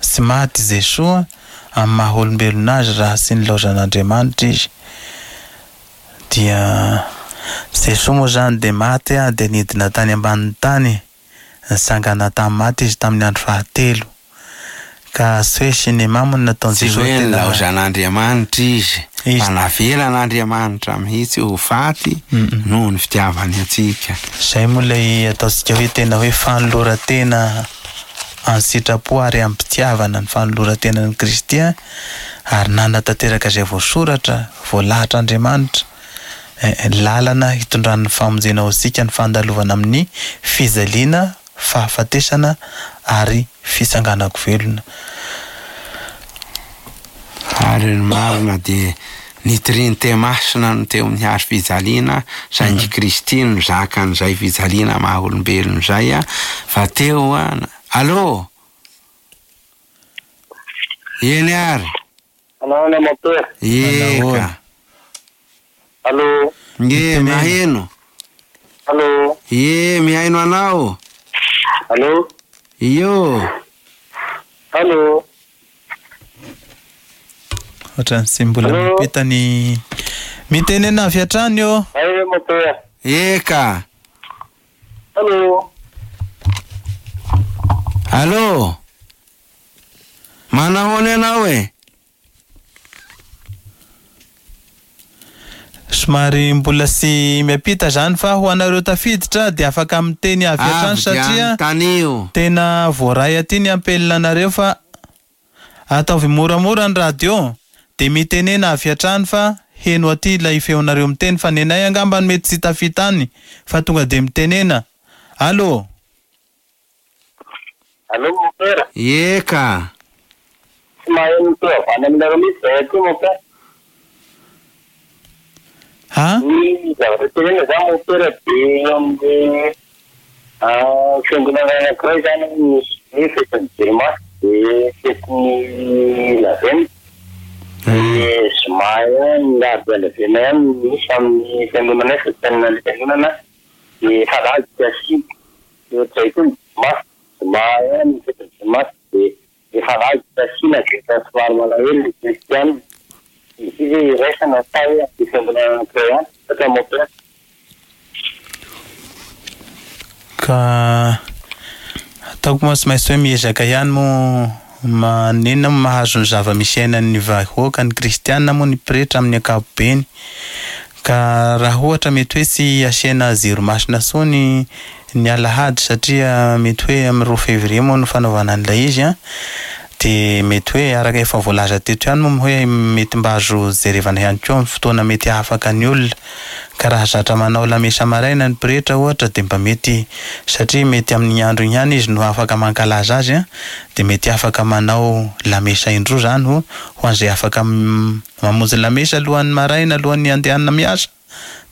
Tsy maty Jesoa amin'ny maha olombelona azy raha tsy nilaozan'Andriamanitra izy. Dia Jesoa moa zany dia maty a, dia nidina tany ambanin'ny tany, nisangana tamin'ny maty izy tamin'ny andro fahatelo. Ka tsy hoe cinéma moa no nataon'i Tsy Jesoa hoe tena nilaozan'Andriamanitra izy, Izy. fa navelan'Andriamanitra mihitsy ho faty Mm-mm. noho ny fitiavany antsika. Zay moa ilay ataontsika hoe tena hoe fanoloran-tena an-tsitrapo ary am-pitiavana ny fanoloran-tenan'i Kristy a, ary nanatanteraka izay voasoratra, voalahatr'Andriamanitra. Eh, eh, lalana hitondran'ny famonjena ho antsika ny fandalovana amin'ny fijaliana, fahafatesana ary fitsanganako velona. Ary ny marina dia ny Trinite masina no teo amin'ny hazo fijaliana, saingy Kristy no zaka an'izay fijaliana maha olombelona izay a, fa teo a, allô? Eny ary? Anaona mopera. Eka. Allô. Nge, maheno. Allô. Ye, mihaino anao. Allô. Io. Allô. Ohatran'ny tsy mbola Allô? mipita ny mitenena avy hatrany io. Ay mopera. Eka. Allô. Allô. Manahoana ianao e? Somary mbola tsy miampita zany fa ho anareo tafiditra dia afaka miteny avy hatrany Avy dia satria anontanio. tena voaray aty ny ampelina anareo fa ataovy moramora ny radio dia mitenena avy hatrany fa heno aty ilay feonareo miteny fa ny anay angamba no mety tsy tafita any fa tonga dia mitenena. Allô. Allô mopera. Eka. Tsy maheno ny teo avy any aminareo mihitsy zahay aty mopera. Ha? Ny zavatra tenena zany mopera dia eo amin'ny ah, fiangonana anankiray zany misy ny fetin'ny Jirima dia fetin'ny Lavenona. Dia zoma ihany ny alahady Lavenona ihany misy amin'ny fiangonana fetin'ny fiangonana dia alahady tsy asiana. Dia ohatr'izay koa ny Zoma, zoma ihany ny fetin'ny Zoma dia efa alahady tsy asiana dia efa somary malahelo ny kristianina. Izy io ve iraisana sa hoe amin'ny fiangonana anankiray ihany? Satria mopera. Ka ataoko moa tsy maintsy hoe miezaka ihany moa manenina moa mahazo ny zava-misy iainan'ny vahoaka ny kristianina moa ny pretra amin'ny ankapobeny. Ka raha ohatra mety hoe tsy asiana jiro masina intsony ny alahady satria mety hoe amin'ny roa février moa no fanaovana an'ilay izy a, dia mety hoe araka efa voalaza teto ihany moa hoe mety mba azo jerevana ihany koa amin'ny fotoana mety hahafaka ny olona. Ka raha zatra manao lamesa maraina ny pretra ohatra dia mba mety satria mety amin'ny andro iny ihany izy no afaka mankalaza azy a, dia mety afaka manao lamesa indroa zany ho, ho an'izay afaka m-, mamonjy lamesa alohan'ny maraina alohan'ny andehanana miasa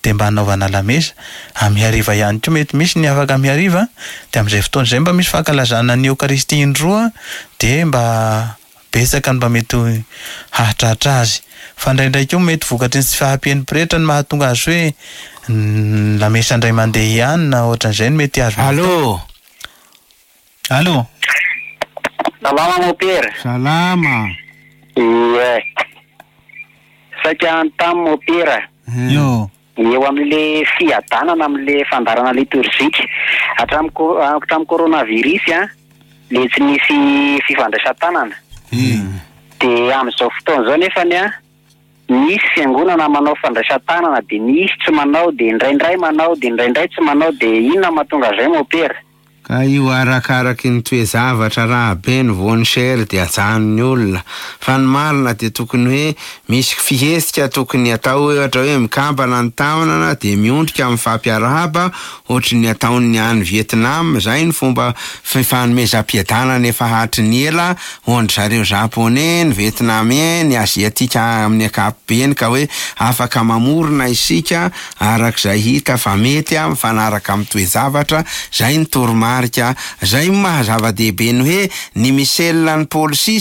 dia mba hanaovana lamesa. Amin'ny hariva ihany koa mety misy ny afaka amin'ny hariva, dia amin'izay fotoana izay mba misy fankalazana ny Eokaristia indroa dia mba betsaka no mba mety hahatratra azy. Fa indraindray koa mety vokatry ny tsy fahampian'ny pretra no mahatonga azy hoe n-, lamesa indray mandeha ihany na ohatran'izay no mety azo. Allô. Allô. Salama mopera. Salama. Ie. Saika anontany mopera. Io. Eo amin'le fiadanana amin'le fandaharana litorjika hatramin'ny ko-, hatramin'ny coronavirus a, le tsy nisy fifandraisan-tanana. Mm. Dia amin'izao fotoana izao nefany a, misy fiangonana manao fandraisan-tanana dia misy tsy manao, dia indraindray manao, dia indraindray tsy manao, dia inona mahatonga izay mopera? Ka io arakaraky ny toe-javatra raha be ny voan'ny dia ajanon'ny olona. Fa ny marina dia tokony hoe misy fihetsika tokony atao hoe ohatra hoe mikambana ny tanana dia miondrika amin'ny fampiarahaba ohatry ny ataon'ny any Vietnam. Zay ny fomba fifanomezam-piadanana efa hatry ny ela ho an-dry zareo japonais, ny vietnamien, ny aziatika amin'ny ankapobeny, ka hoe afaka mamorona isika arak'izay hita fa mety mifanaraka amin'ny toe-javatra. Zay ny toromarika. Zay maha zava-dehibe ny hoe ny misel ny polisy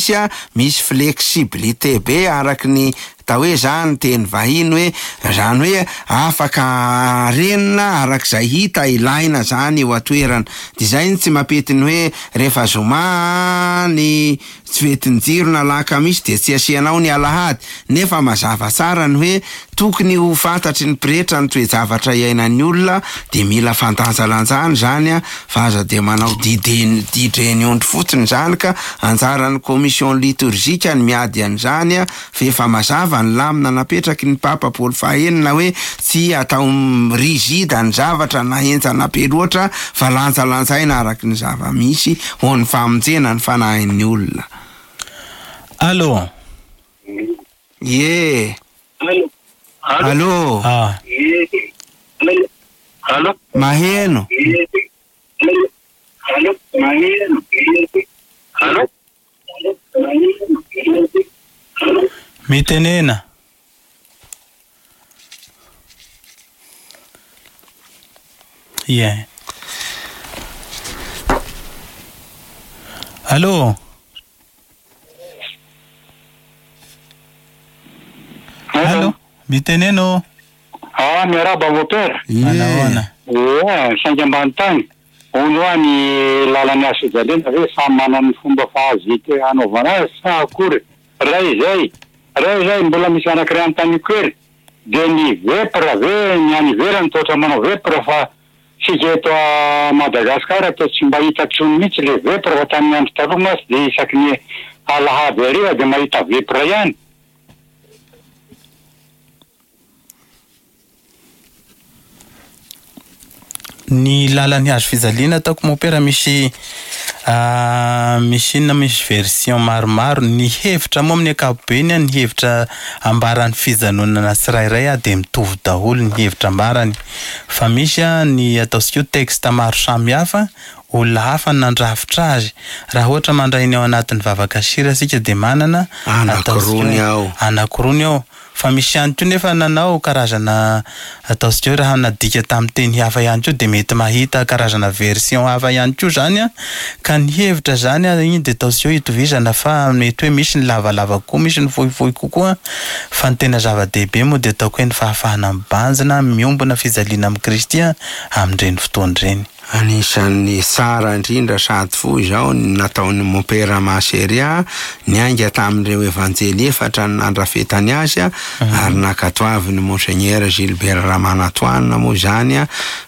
misy flexibilité be araky ny atao hoe zany teny vahiny hoe zany hoe afaka renina arak'izay hita ilaina zany eo an-toerana. De zay ny tsy mampety ny hoe rehefa zoma ny tsy fetin-jiro na alakamisy de tsy asianao ny alahady, nefa mazava tsara ny hoe tokony ho fantatry ny pretra ny toe-javatra iainan'ny olona, de mila fandanjalanjana zany a, fa aza de manao dideny didreny ondry fotsiny zany, ka anjaran'ny commission liturgique ny miady an'izany a, fa efa mazava ny lamina napetraky ny Papa Paoly fahenina hoe tsy atao rigide ny zavatra na henjana be loatra fa lanjalanjaina araky ny zava-misy ho an'ny famonjena ny fanahin'ny olona. Allô. Ye. Allô. Allô. Ah. Allô. Maheno. Allô. Maheno. Allô. Mitenena. Ie. Allô. Allô. Miteneno. Ah, miarahaba moteur. Manahoana? Oa, saingy ambany tany. Hono hoa ny lalana hazo fijaliana ve samy manana ny fomba fahazika hanaovana azy sa akory? Ray izay, ray izay mbola misy anankiray anontaniako kely. De ny vepra ve ny any ivelany toa ohatran'ny manao vepra fa tsika eto Madagasikara toa tsy mba hita intsony mihitsy le vepra, fa tamin'ny andro taloha mantsy de isaky ny alahady hariva de mahita vepra ihany. Ny lalan'ny hazo fijaliana ataoko mopera misy misy inona, misy version maromaro. Ny hevitra moa amin'ny ankapobeny, ny hevitra ambaran'ny fijanonana tsirairay dia mitovy daholo ny hevitra ambarany, fa misy ny ataontsika hoe texte maro samihafa, olona hafa nandrafitra azy. Raha ohatra mandray ny ao anatin'ny vavaka sira isika dia manana anankiroa ao, anankiroa ao. Fa misy ihany koa nefa nanao karazana ataontsika hoe raha nadika tamin'ny teny hafa ihany koa dia mety mahita karazana version hafa ihany koa zany a. Ka ny hevitra zany a iny dia ataontsika hoe itovizana, fa mety hoe misy ny lavalava kokoa, misy ny fohifohy kokoa. Fa ny tena zava-dehibe moa dia ataoko hoe ny fahafahana mibanjina, miombona fijaliana amin'i Kristy amin'ireny fotoana ireny. Anisan'ny tsara indrindra sady fohy izao ny nataon'ny Mompera Maseria, niainga tamin'ireo evanjely efatra ny nandrafetany azy, ary nankatoavin'ny Monseigneur Gilbert Ramanantoanina moa izany,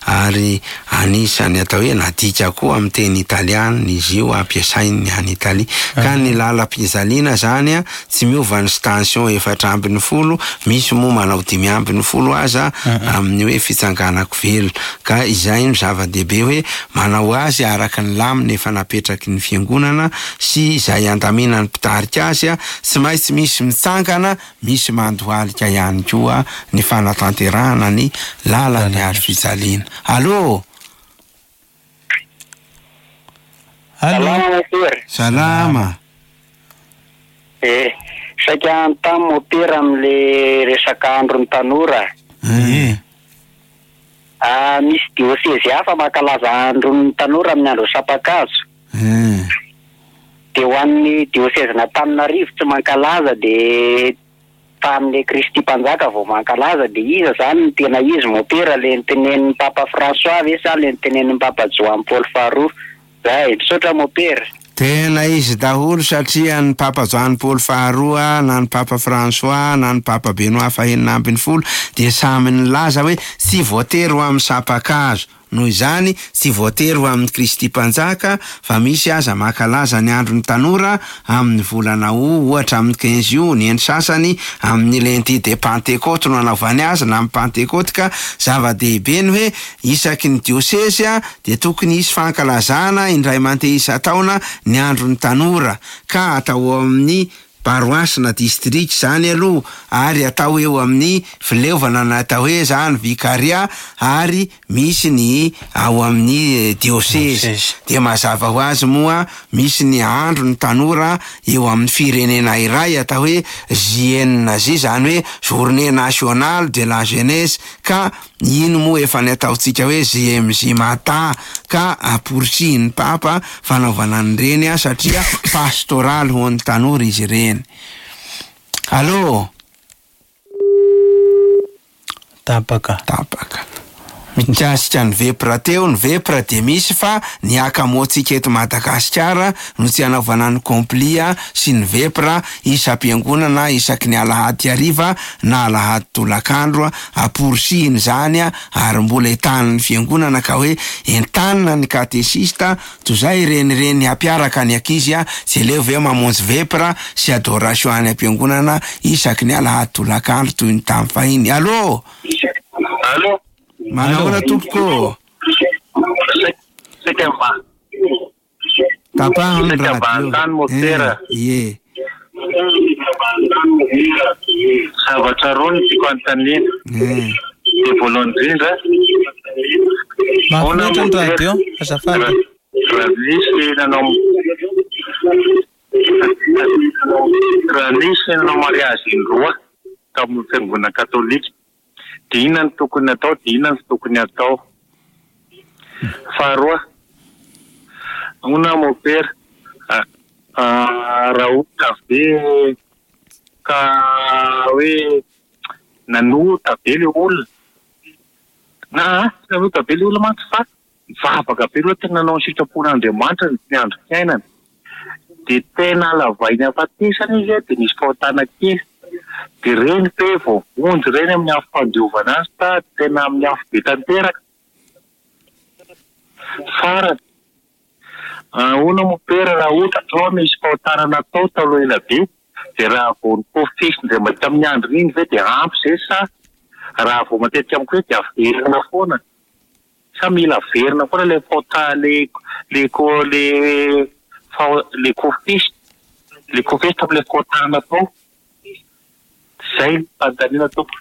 ary anisan'ny atao hoe nadika koa amin'ny teny italiana izy io, ampiasainy any Italia. Ka ny lalam-pijaliana zany tsy miova ny station efatra ambin'ny folo, misy moa manao dimy ambin'ny folo aza amin'ny hoe fitsanganako velona. Ka izay no zava-dehibe hoe manao azy araka ny lamina efa napetraky ny fiangonana sy izay andaminan'ny mpitarika azy, tsy maintsy misy mitsangana, misy mandohalika ihany koa ny fanatanterahana ny lalan'ny hazo fijaliana. Allô. Allô. Salama. Eh, saika anontany mopera amin'le resaka andron'ny tanora. Eh. Ah, misy diôsezy hafa mankalaza andron'ny tanora amin'ny andro sampakazo. Eh. De ho an'ny diôsezin'Antananarivo tsy mankalaza, de fa amin'le Kristy Mpanjaka vao mankalaza. De iza zany ny tena izy mopera, le nitenenin'ny Papa François ve sa le nitenenin'ny Papa Joan Paul faharoa? Zay, misaotra mopera. Tena izy daholo, satria ny Papa Joan Paul faharoa na ny Papa François na ny Papa Benoît fahenina ambin'ny folo dia samy nilaza hoe tsy voatery ho amin'ny sampakazo. Noho izany tsy voatery ho amin'ny Kristy Mpanjaka fa misy aza mankalaza ny andron'ny tanora amin'ny volana août, ohatra amin'ny quinze août, ny eny sasany amin'ny lundi de Pentecôte no anaovany azy na amin'ny Pentecôte. Ka zava-dehibe ny hoe isaky ny diosesy dia tokony hisy fankalazana indray mandeha isan-taona ny andron'ny tanora, ka atao amin'ny paroasy na district zany aloha, ary atao eo amin'ny fileovana na atao hoe zany vikaria, ary misy ny ao amin'ny diosesy. Dia mazava ho azy moa misy ny andro ny tanora eo amin'ny firenena iray atao hoe J N J, zany hoe Journée Nationale de la Jeunesse, ka ino moa efa ny ataontsika hoe J M J Mata, ka amporisihin'ny Papa fanaovana an'ireny a, satria pastoraly ho an'ny tanora izy ireny. Allô? Tapaka. Tapaka. Mikasika ny vepra teo, ny vepra dia misy fa ny akamoantsika eto Madagasikara no tsy anaovana ny komplia sy ny vepra isam-piangonana isaky ny alahady hariva na alahady tolakandro, amporisihina izany ary mbola entanin'ny fiangonana, ka hoe entanina ny katesista toy izay renireny hampiaraka ny ankizy a, tsy aleo ve mamonjy vepra sy adoration any am-piangonana isaky ny alahady tolakandro toy ny tamin'ny fahiny. Allô? Allô? Manahoana tompoko? Saika mba. Tapahana ny Saika mba radio. anontany motera. Eh, ie. Zavatra roa no tiako anontaniana. Eh. Dia voalohany indrindra, Mahafinaritra ny radio, azafady. Raha nisy nanao, raha nisy nanao mariazy indroa tamin'ny fiangonana katolika, dia inona no tokony atao, dia inona no tsy tokony atao? Faharoa, ahoana mopera? Ah, ah, raha ohatra ve ka hoe nanota be le olona, na tsy nanota be le olona mantsy fa nivavaka be aloha, tena nanao ny sitrapon'Andriamanitra ny andro fiainana, dia tena lavainy afatesana izy, dia nisy fahotana kely, dia reny pe voavonjy reny amin'ny afo fandiovana azy ta tena amin'ny afo be tanteraka. Farany, ahoana mopera raha ohatra zao misy fahotana natao taloha ela be, dia raha vao nikofesy indray mandeha tamin'ny andro iny ve dia ampy zay, sa raha vao matetika amiko hoe dia averina foana, sa mila averina foana le fahota-, le, le ko-, le fa-, le kofesy, le kofesy tamin'ilay fahotana natao? Zay ny fanontaniana tompoko.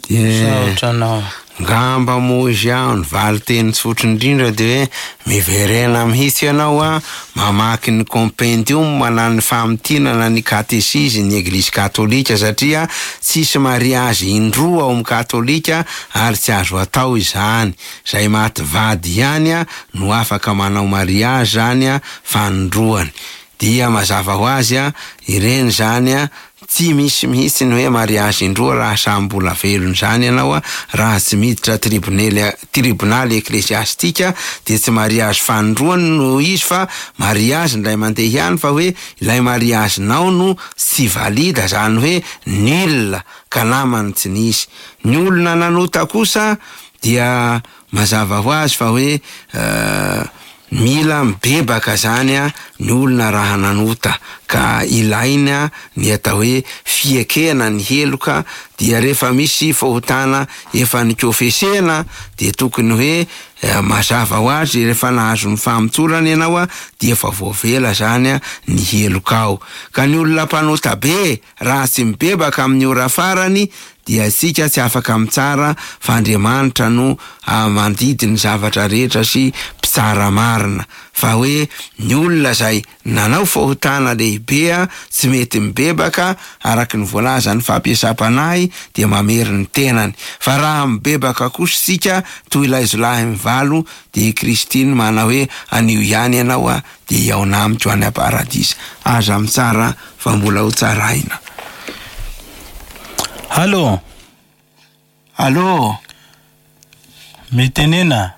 Dia Misaotra anao. Ngamba moa izy aho ny valin-teny tsotra indrindra dia hoe miverena mihitsy ianao a, mamaky ny compendium na ny famintinana ny katesizy ny Eglizy katolika, satria tsisy mariazy indroa ao amin'ny katolika ary tsy azo atao izany. Izay maty vady ihany a no afaka manao mariazy zany a fanindroany. Dia mazava ho azy a, ireny zany a, tsy misy mihitsy ny hoe mariazy indroa raha samy mbola velona izany ianao a, raha tsy miditra tribunely, tribonaly eklesiastika dia tsy mariazy fanindroany no izy fa mariazy indray mandeha ihany, fa hoe ilay mariazinao no tsy valida, zany hoe nul, ka namany tsy nisy. Ny olona nanota kosa dia mazava ho azy fa hoe, eh, mila mibebaka zany a ny olona raha nanota, ka ilaina ny atao hoe fiekena ny heloka. Dia rehefa misy fahotana efa nikofesena dia tokony hoe, eh, mazava ho azy rehefa nahazo ny famotsorana ianao a dia efa voavela zany a ny helokao. Ka ny olona mpanota be raha tsy mibebaka amin'ny ora farany dia isika tsy afaka mitsara fa Andriamanitra no, ah, mandidy ny zavatra rehetra sy mpitsara marina. Fa hoe ny olona izay nanao fahotana lehibe a, tsy mety mibebaka araka ny voalazan'ny fampiasam-panahy dia mamery ny tenany. Fa raha mibebaka kosa isika toy ilay jiolahy mivalo dia i Kristy no manao hoe anio ihany ianao a dia hihaona amiko any am-paradisa. Aza mitsara fa mbola ho tsaraina. Allô? Allô? Mitenena.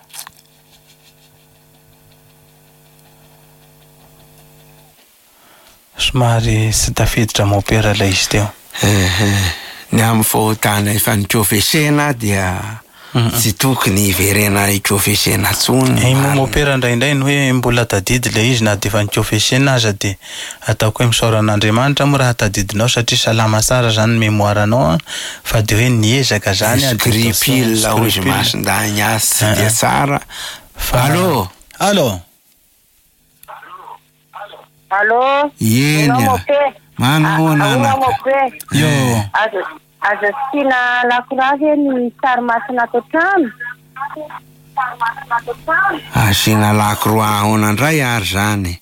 Somary tsy tafiditra mopera ilay izy teo. Eh, eh, ny amin'ny fahotana efa nikofesena dia Tsy tokony hiverena hikofesena intsony. Iny moa mopera indraindray ny hoe mbola tadidy ilay izy na dia efa nikofesena aza, dia ataoko hoe misaora an'Andriamanitra moa raha tadidinao satria salama tsara zany ny mémoire-nao a, fa dia hoe niezaka zany a, dia Scrupule hoy izy scrupule. Masindahy azy tsy Ah, dia ah. tsara. Fa- Allô? Allô? Allô? Eny Ahoana a. mope? Manahoana Ahoana anaka? mope? Yo. Azo azo asiana lakroa ve ny sary masina ato an-trano? Sary masina ato an-trano? Asiana lakroa ahoana indray ary zany?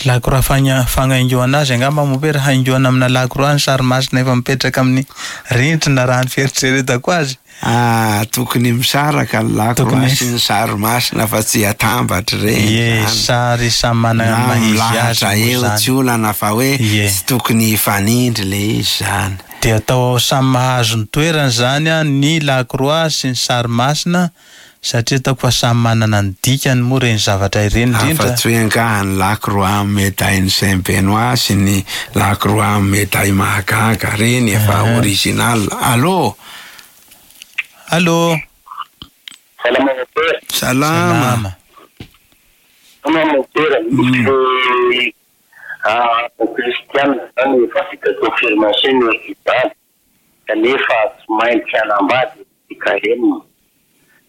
Lakroa fagna- fagnaingoana azy angamba mopera, haingoana amina lakroa ny sary masina efa mipetraka amin'ny rindrina raha ny fieritreretako azy. Ah, tokony misaraka ny lakroa Tokony- sy ny sary masina fa tsy atambatra ireny Ie, zany. sary samy manana ny Na maha izy azy milahatra moa eo zany. tsy olana fa hoe Ie. tsy tokony hifanindry le izy zany. Dia atao samy mahazo ny toerany zany a, ny lakroa sy ny sary masina, satria ataoko fa samy manana ny dikany moa ireny zavatra ireny indrindra. Afa-tsy hoe angaha ny lakroa amin'ny médaille Saint Benoît sy ny lakroa amin'ny médaille mahagaga reny efa Ah. original. Allô? Allô? Salama mopera. Salama. Salama. Salama mopera. Misy ah, kristianina zany efa vita confirmation ny hôpitaly kanefa tsy maintsy hanambady F K M.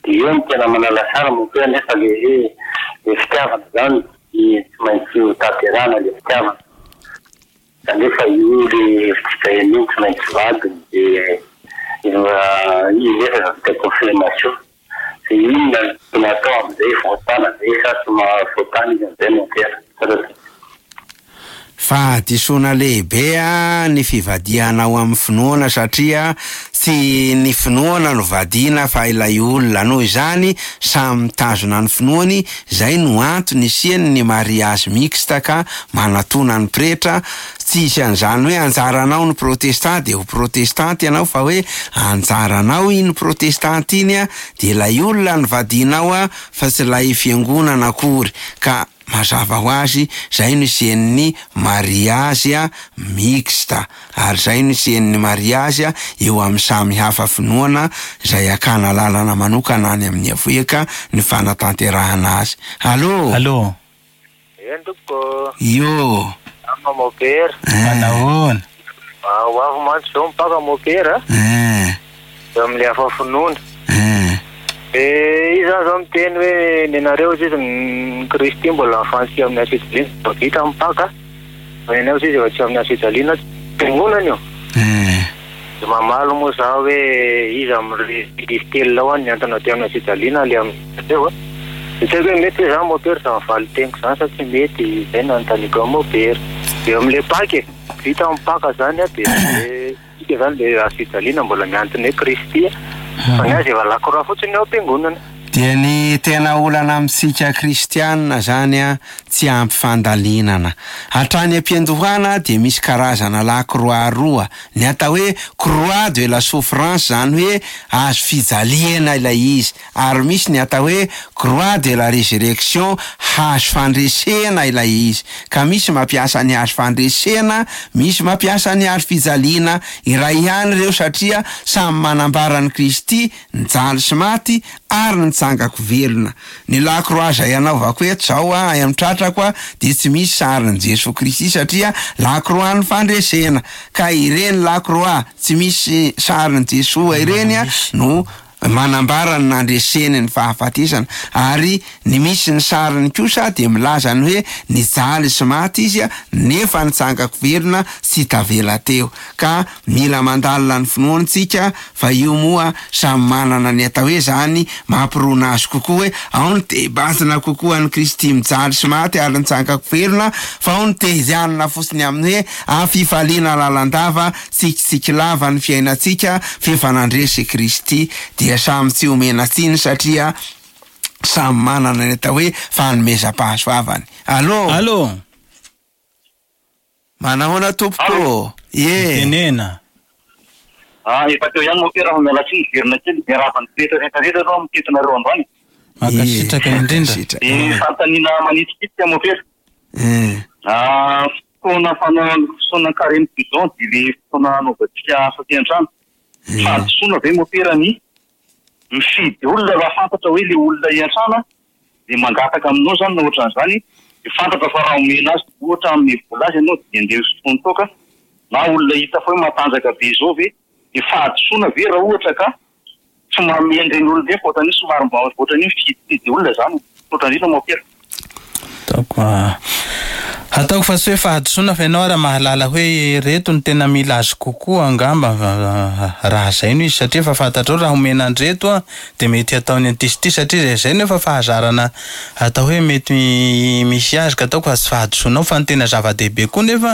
Dia eo no tena manalasara mopera, nefa le hoe le fitiavana zany tsy tsy maintsy ho tanterahana le fitiavana, kanefa io le F K M io tsy maintsy vadiny, dia izy nefa efa vita confirmation. Dia inona no tokony atao amin'izay? Voatana zay sa tsy mahavoatana izy amin'izay mopera? Fahadisoana lehibe a ny fivadiana ao amin'ny finoana, satria tsy ny finoana no vadiana fa ilay olona. Noho izany samy mitazona ny finoany, zay no antony isiany ny mariage mixte ka manatona ny pretra. Tsy hisy an'izany hoe anjaranao ny protestant dia ho protestant ianao, fa hoe anjaranao iny protestant iny a, dia ilay olona no vadianao a, fa tsy ilay fiangonana akory. Ka mazava ho azy zay no isian'ny mariage a mixte, ary zay no isian'ny mariage a eo amin'ny samy hafa finoana, zay akana lalana manokana any amin'ny avoeka ny fanatanterahana azy. Allô? Allô? Eny tompoko, Io. ama mopera. Eh, Manahoana? Ah, ho avy mantsy zao mipaka mopera eh, eo amin'ilay hafa finoana. eh. Eh, izy zany zao miteny hoe ny anareo izy ny Kristy mbola mifantsy amin'ny hazo fijaliana vao vita mipaka. Fa ny anareo izy efa tsy amin'ny hazo fijaliana, fiangonana io. Eh. Dia mamaly moa zaho hoe iza amin'ireo izy telo lao any niantona teo amin'ny hazo fijaliana le amin'ireo a. Dia tsy haiko hoe mety hoe za mopera za mivaly teniko zany sa tsy mety, izay no anontaniako amin'ny mopera. Dia amin'ilay Paka e, vita mipaka zany a, dia isika zany le hazo fijaliana mbola miantona hoe Kristy a. Fa ny azy efa lakroa fotsiny ao am-piangonana. Dia ny tena olana amintsika kristianina zany a, tsy ampy fandalinana. Hatrany am-piandohana dia misy karazana lakroa roa. Ny atao hoe croix de la souffrance, zany hoe azo fijaliana ilay izy, ary misy ny atao hoe croix de la résurrection, hazo fandresena ilay izy. Ka misy mampiasa ny hazo fandresena, misy mampiasa ny hazo fijaliana. Iray ihany ireo satria samy manambara an'i Kristy nijaly sy maty ary nitsangako velona. Ny lakroa izay anaovako eto zao a, ay amin'ny tratrako a, dia tsy misy sarin'i Jesoa Kristy satria lakroa ny fandresena. Ka ireny lakroa tsy misy sarin'i Jesoa ireny a no manambara ny nandreseny ny fahafatesana, ary ny misy ny sariny kosa dia milaza ny hoe nijaly sy maty izy a, nefa nitsangako velona tsy tavela teo. Ka mila mandalina ny finoantsika, fa io moa samy manana ny atao hoe zany mampirona azy kokoa, hoe ao ny te hibanjina kokoa an'i Kristy mijaly sy maty ary nitsangako velona, fa ao ny te hijanona fotsiny amin'ny hoe afifaliana lalandava, tsikitsiky lava ny fiainantsika f'efa nandresy Kristy. Dia samy tsy omena tsiny satria samy manana ny atao hoe fanomezam-pahasoavany. Allô? Allô? Manahoana tompoko? Ie. Tenena. Ah, efa teo ihany mopera fa miala tsiny miverina kely, miarahaba ny pretra rehetra rehetra aloha mitetinareo androany. Mankasitraka Ie, indrindra. mankasitraka. Dia fanontaniana manitikitika mopera. Eh. Ah, fotoana fanao fotoana carême bidon dia le fotoana anaovantsika asa teny an-trano. Fahadisoana ve mopera ny mifidy olona raha fantatra hoe le olona iantrana de mangataka aminao zany na ohatran'izany, de fantatra fa raha omena azy ohatra amin'ny vola azy ianao de andeha hosotroiny toaka, na olona hita fa hoe matanjaka be zao ve, de fahadisoana ve raha ohatra ka tsy manome an'ireny olona ireny fa ohatran'io somary mba ohatran'io mifidifidy olona zany, ohatran'io mopera. Ataoko ataoko fa tsy hoe fahadisoana fa ianao raha mahalala hoe reto no tena mila azy kokoa angamba raha zay no izy, satria efa fantatrao raha omena andreto a de mety hataony an'ity sy ity, satria zay zay no efa fahazarana atao hoe mety misy azy, ka ataoko fa tsy fahadisoanao fa ny tena zava-dehibe koa nefa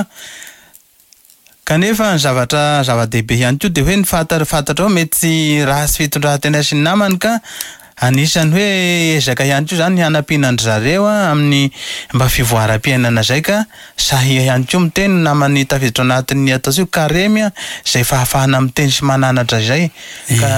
kanefa ny zavatra zava-dehibe ihany koa de hoe ny fanta- fantatrao mety ratsy fitondran-tena sy ny namany ka anisan'ny hoe ezaka ihany koa zany hanampiana an-dry zareo a amin'ny mba fivoaram-piainana zay, ka sahy ihany koa miteny namany tafiditra anatin'ny atao hoe karemy a, zay fahafahana miteny sy mananatra zay ka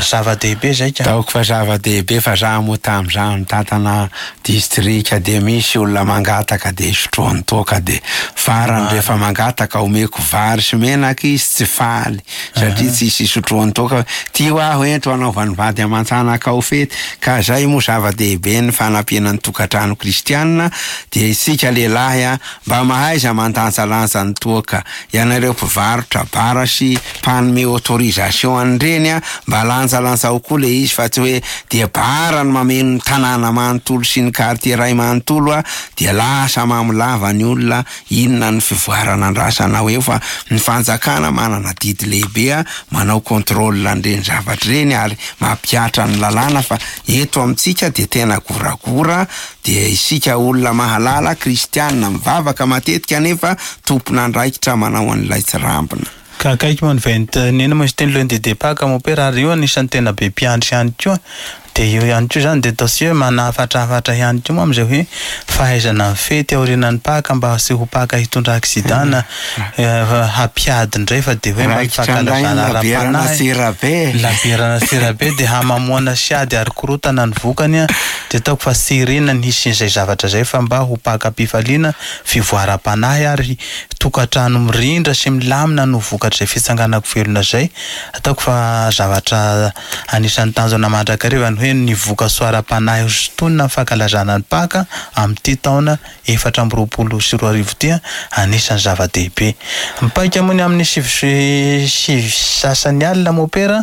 zava-dehibe zay ka. Ataoko fa zava-dehibe fa za moa tamin'izaho nitantana distrika de misy olona mangataka de sotroany toaka, de farany rehefa mangataka omeko vary sy menaka izy tsy faly satria tsisy sotroany toaka, tio aho ento anaovan'ny vady aman-janaka ao fety. Ka zay moa zava-dehibe ny fanampiana ny tokantrano kristianina, dia isika lehilahy a mba mahaiza mandanjalanja ny toaka, ianareo mpivarotra bara sy mpanome autorisation an'ireny a mba lanjalanjao koa le izy fa tsy hoe dia bara ny mameno ny tanàna manontolo sy ny quartier ray manontolo a dia lasa mamolava ny olona, inona ny fivoarana andrasanao eo, fa ny fanjakana manana didy lehibe a manao contrôle an'ireny zavatra ireny ary mampihatra ny lalàna, fa eto amintsika dia tena goragora, dia isika olona mahalala kristianina mivavaka matetika nefa tompon'andraikitra manao an'ilay tsirambina. Ka akaiky moa ny vingt nena moa izy teny lundi de Pâques mopera, ary io anisan'ny tena be mpiandry ihany koa, de io ihany koa zany de atao sy hoe manafatrafatra ihany koa moa amin'izay hoe fahaizana mifety aorianan'ny Pâques mba tsy ho Pâques hitondra accident na hampiady indray, fa de hoe mba fankalazana ara-panahy laberana tsirabe de hamamoana sy ady ary korotana ny vokany a, de ataoko fa tsy irina ny hisian'izay zavatra zay fa mba ho Pâques am-pifaliana, fivoaram-panahy ary tokantrano mirindra sy milamina no vokatr'izay fitsanganako velona zay. Ataoko fa zavatra anisan'ny tanjona mandrakariva ny hoe ny voka-tsoa ara-panahy ho sintonina amin'ny fankalazana ny Pâques amin'ity taona efatra amby roapolo sy roa arivo ity anisan'ny zava-dehibe. Mipaika moa ny amin'ny sivy sivy sasany alina mopera,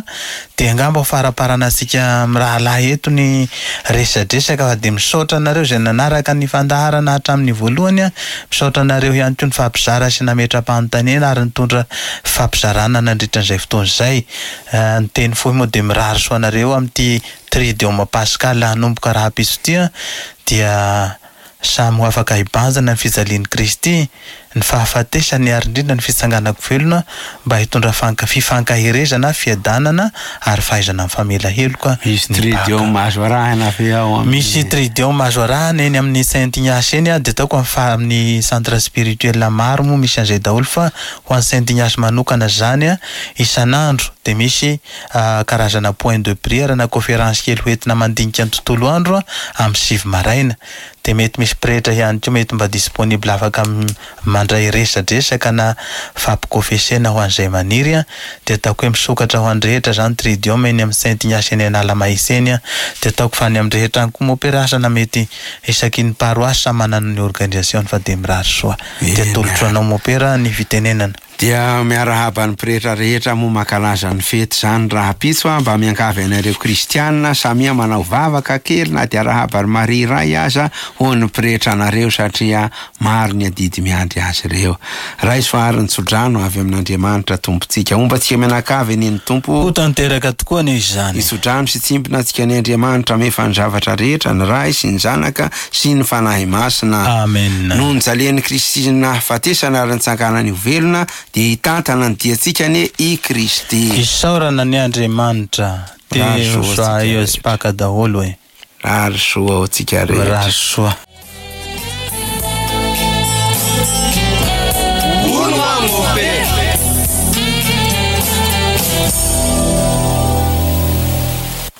de angamba ho faraparanantsika mirahalahy eto ny resadresaka, fa de misaotra anareo izay nanaraka ny fandaharana hatramin'ny voalohany a, misaotra anareo ihany koa ny fampizara sy nametra-panontaniana ary nitondra fampizarana nandritra an'izay fotoana izay. Ny teny fohy moa de mirary soa anareo amin'ity Triduum Pascal hanomboka rahampitso ity a, dia samy ho afaka hibanjina ny fijalian'i Kristy, ny fahafatesany ary indrindra ny fitsanganako velona mba hitondra fanka- fifankaherezana, fiadanana ary fahaizana mifamela heloka. Misy Triduum azo arahina ve ao amin'ny Misy Triduum azo arahina eny amin'ny Saint Ignace eny a, de ataoko amin'ny fa- amin'ny centre spirituel maro moa misy an'izay daholo, fa ho an'ny Saint Ignace manokana zany a, isan'andro de misy karazana point de prière na conférence kely hoentina mandinika ny tontolo andro a amin'ny sivy maraina, de mety misy pretra ihany koa mety mba disponible afaka mandray resadresaka na fampikofesena ho an'izay maniry a, de ataoko hoe misokatra ho an'ny rehetra zany Triduum eny amin'ny Saint Ignace eny Analamahitsy eny a, de ataoko fa any amin'ny rehetra any koa mopera asa na mety isaky ny paroasy samy manana ny organisation fa de mirary soa, de atolotro anao mopera ny fitenenana. Dia miarahaba ny pretra rehetra moa mankalaza ny fety zany rahampitso a, mba miangavy anareo kristianina samia manao vavaka kely na dia arahaba ry Maria iray aza ho an'ny pretra anareo, satria maro ny adidy miandry azy ireo. Raiso ary ny tsodrano avy amin'Andriamanitra Tompontsika, homba antsika mianakavy anie ny Tompo. Ho tanteraka tokoa anie izany. Ny tsodrano sy tsimbina antsika ny Andriamanitra mefa ny zavatra rehetra, ny Ray sy ny Zanaka sy ny Fanahy Masina. Amen. Noho ny jalian'i Kristy sy ny nahafatesana ary nitsanganany ho velona, dia hitantana ny diantsika anie i Kristy. Isaorana ny Andriamanitra. Mirary soa ho antsika Joyeux rehetra. Pâques daholo e. Mirary soa ho antsika rehetra. Mirary soa.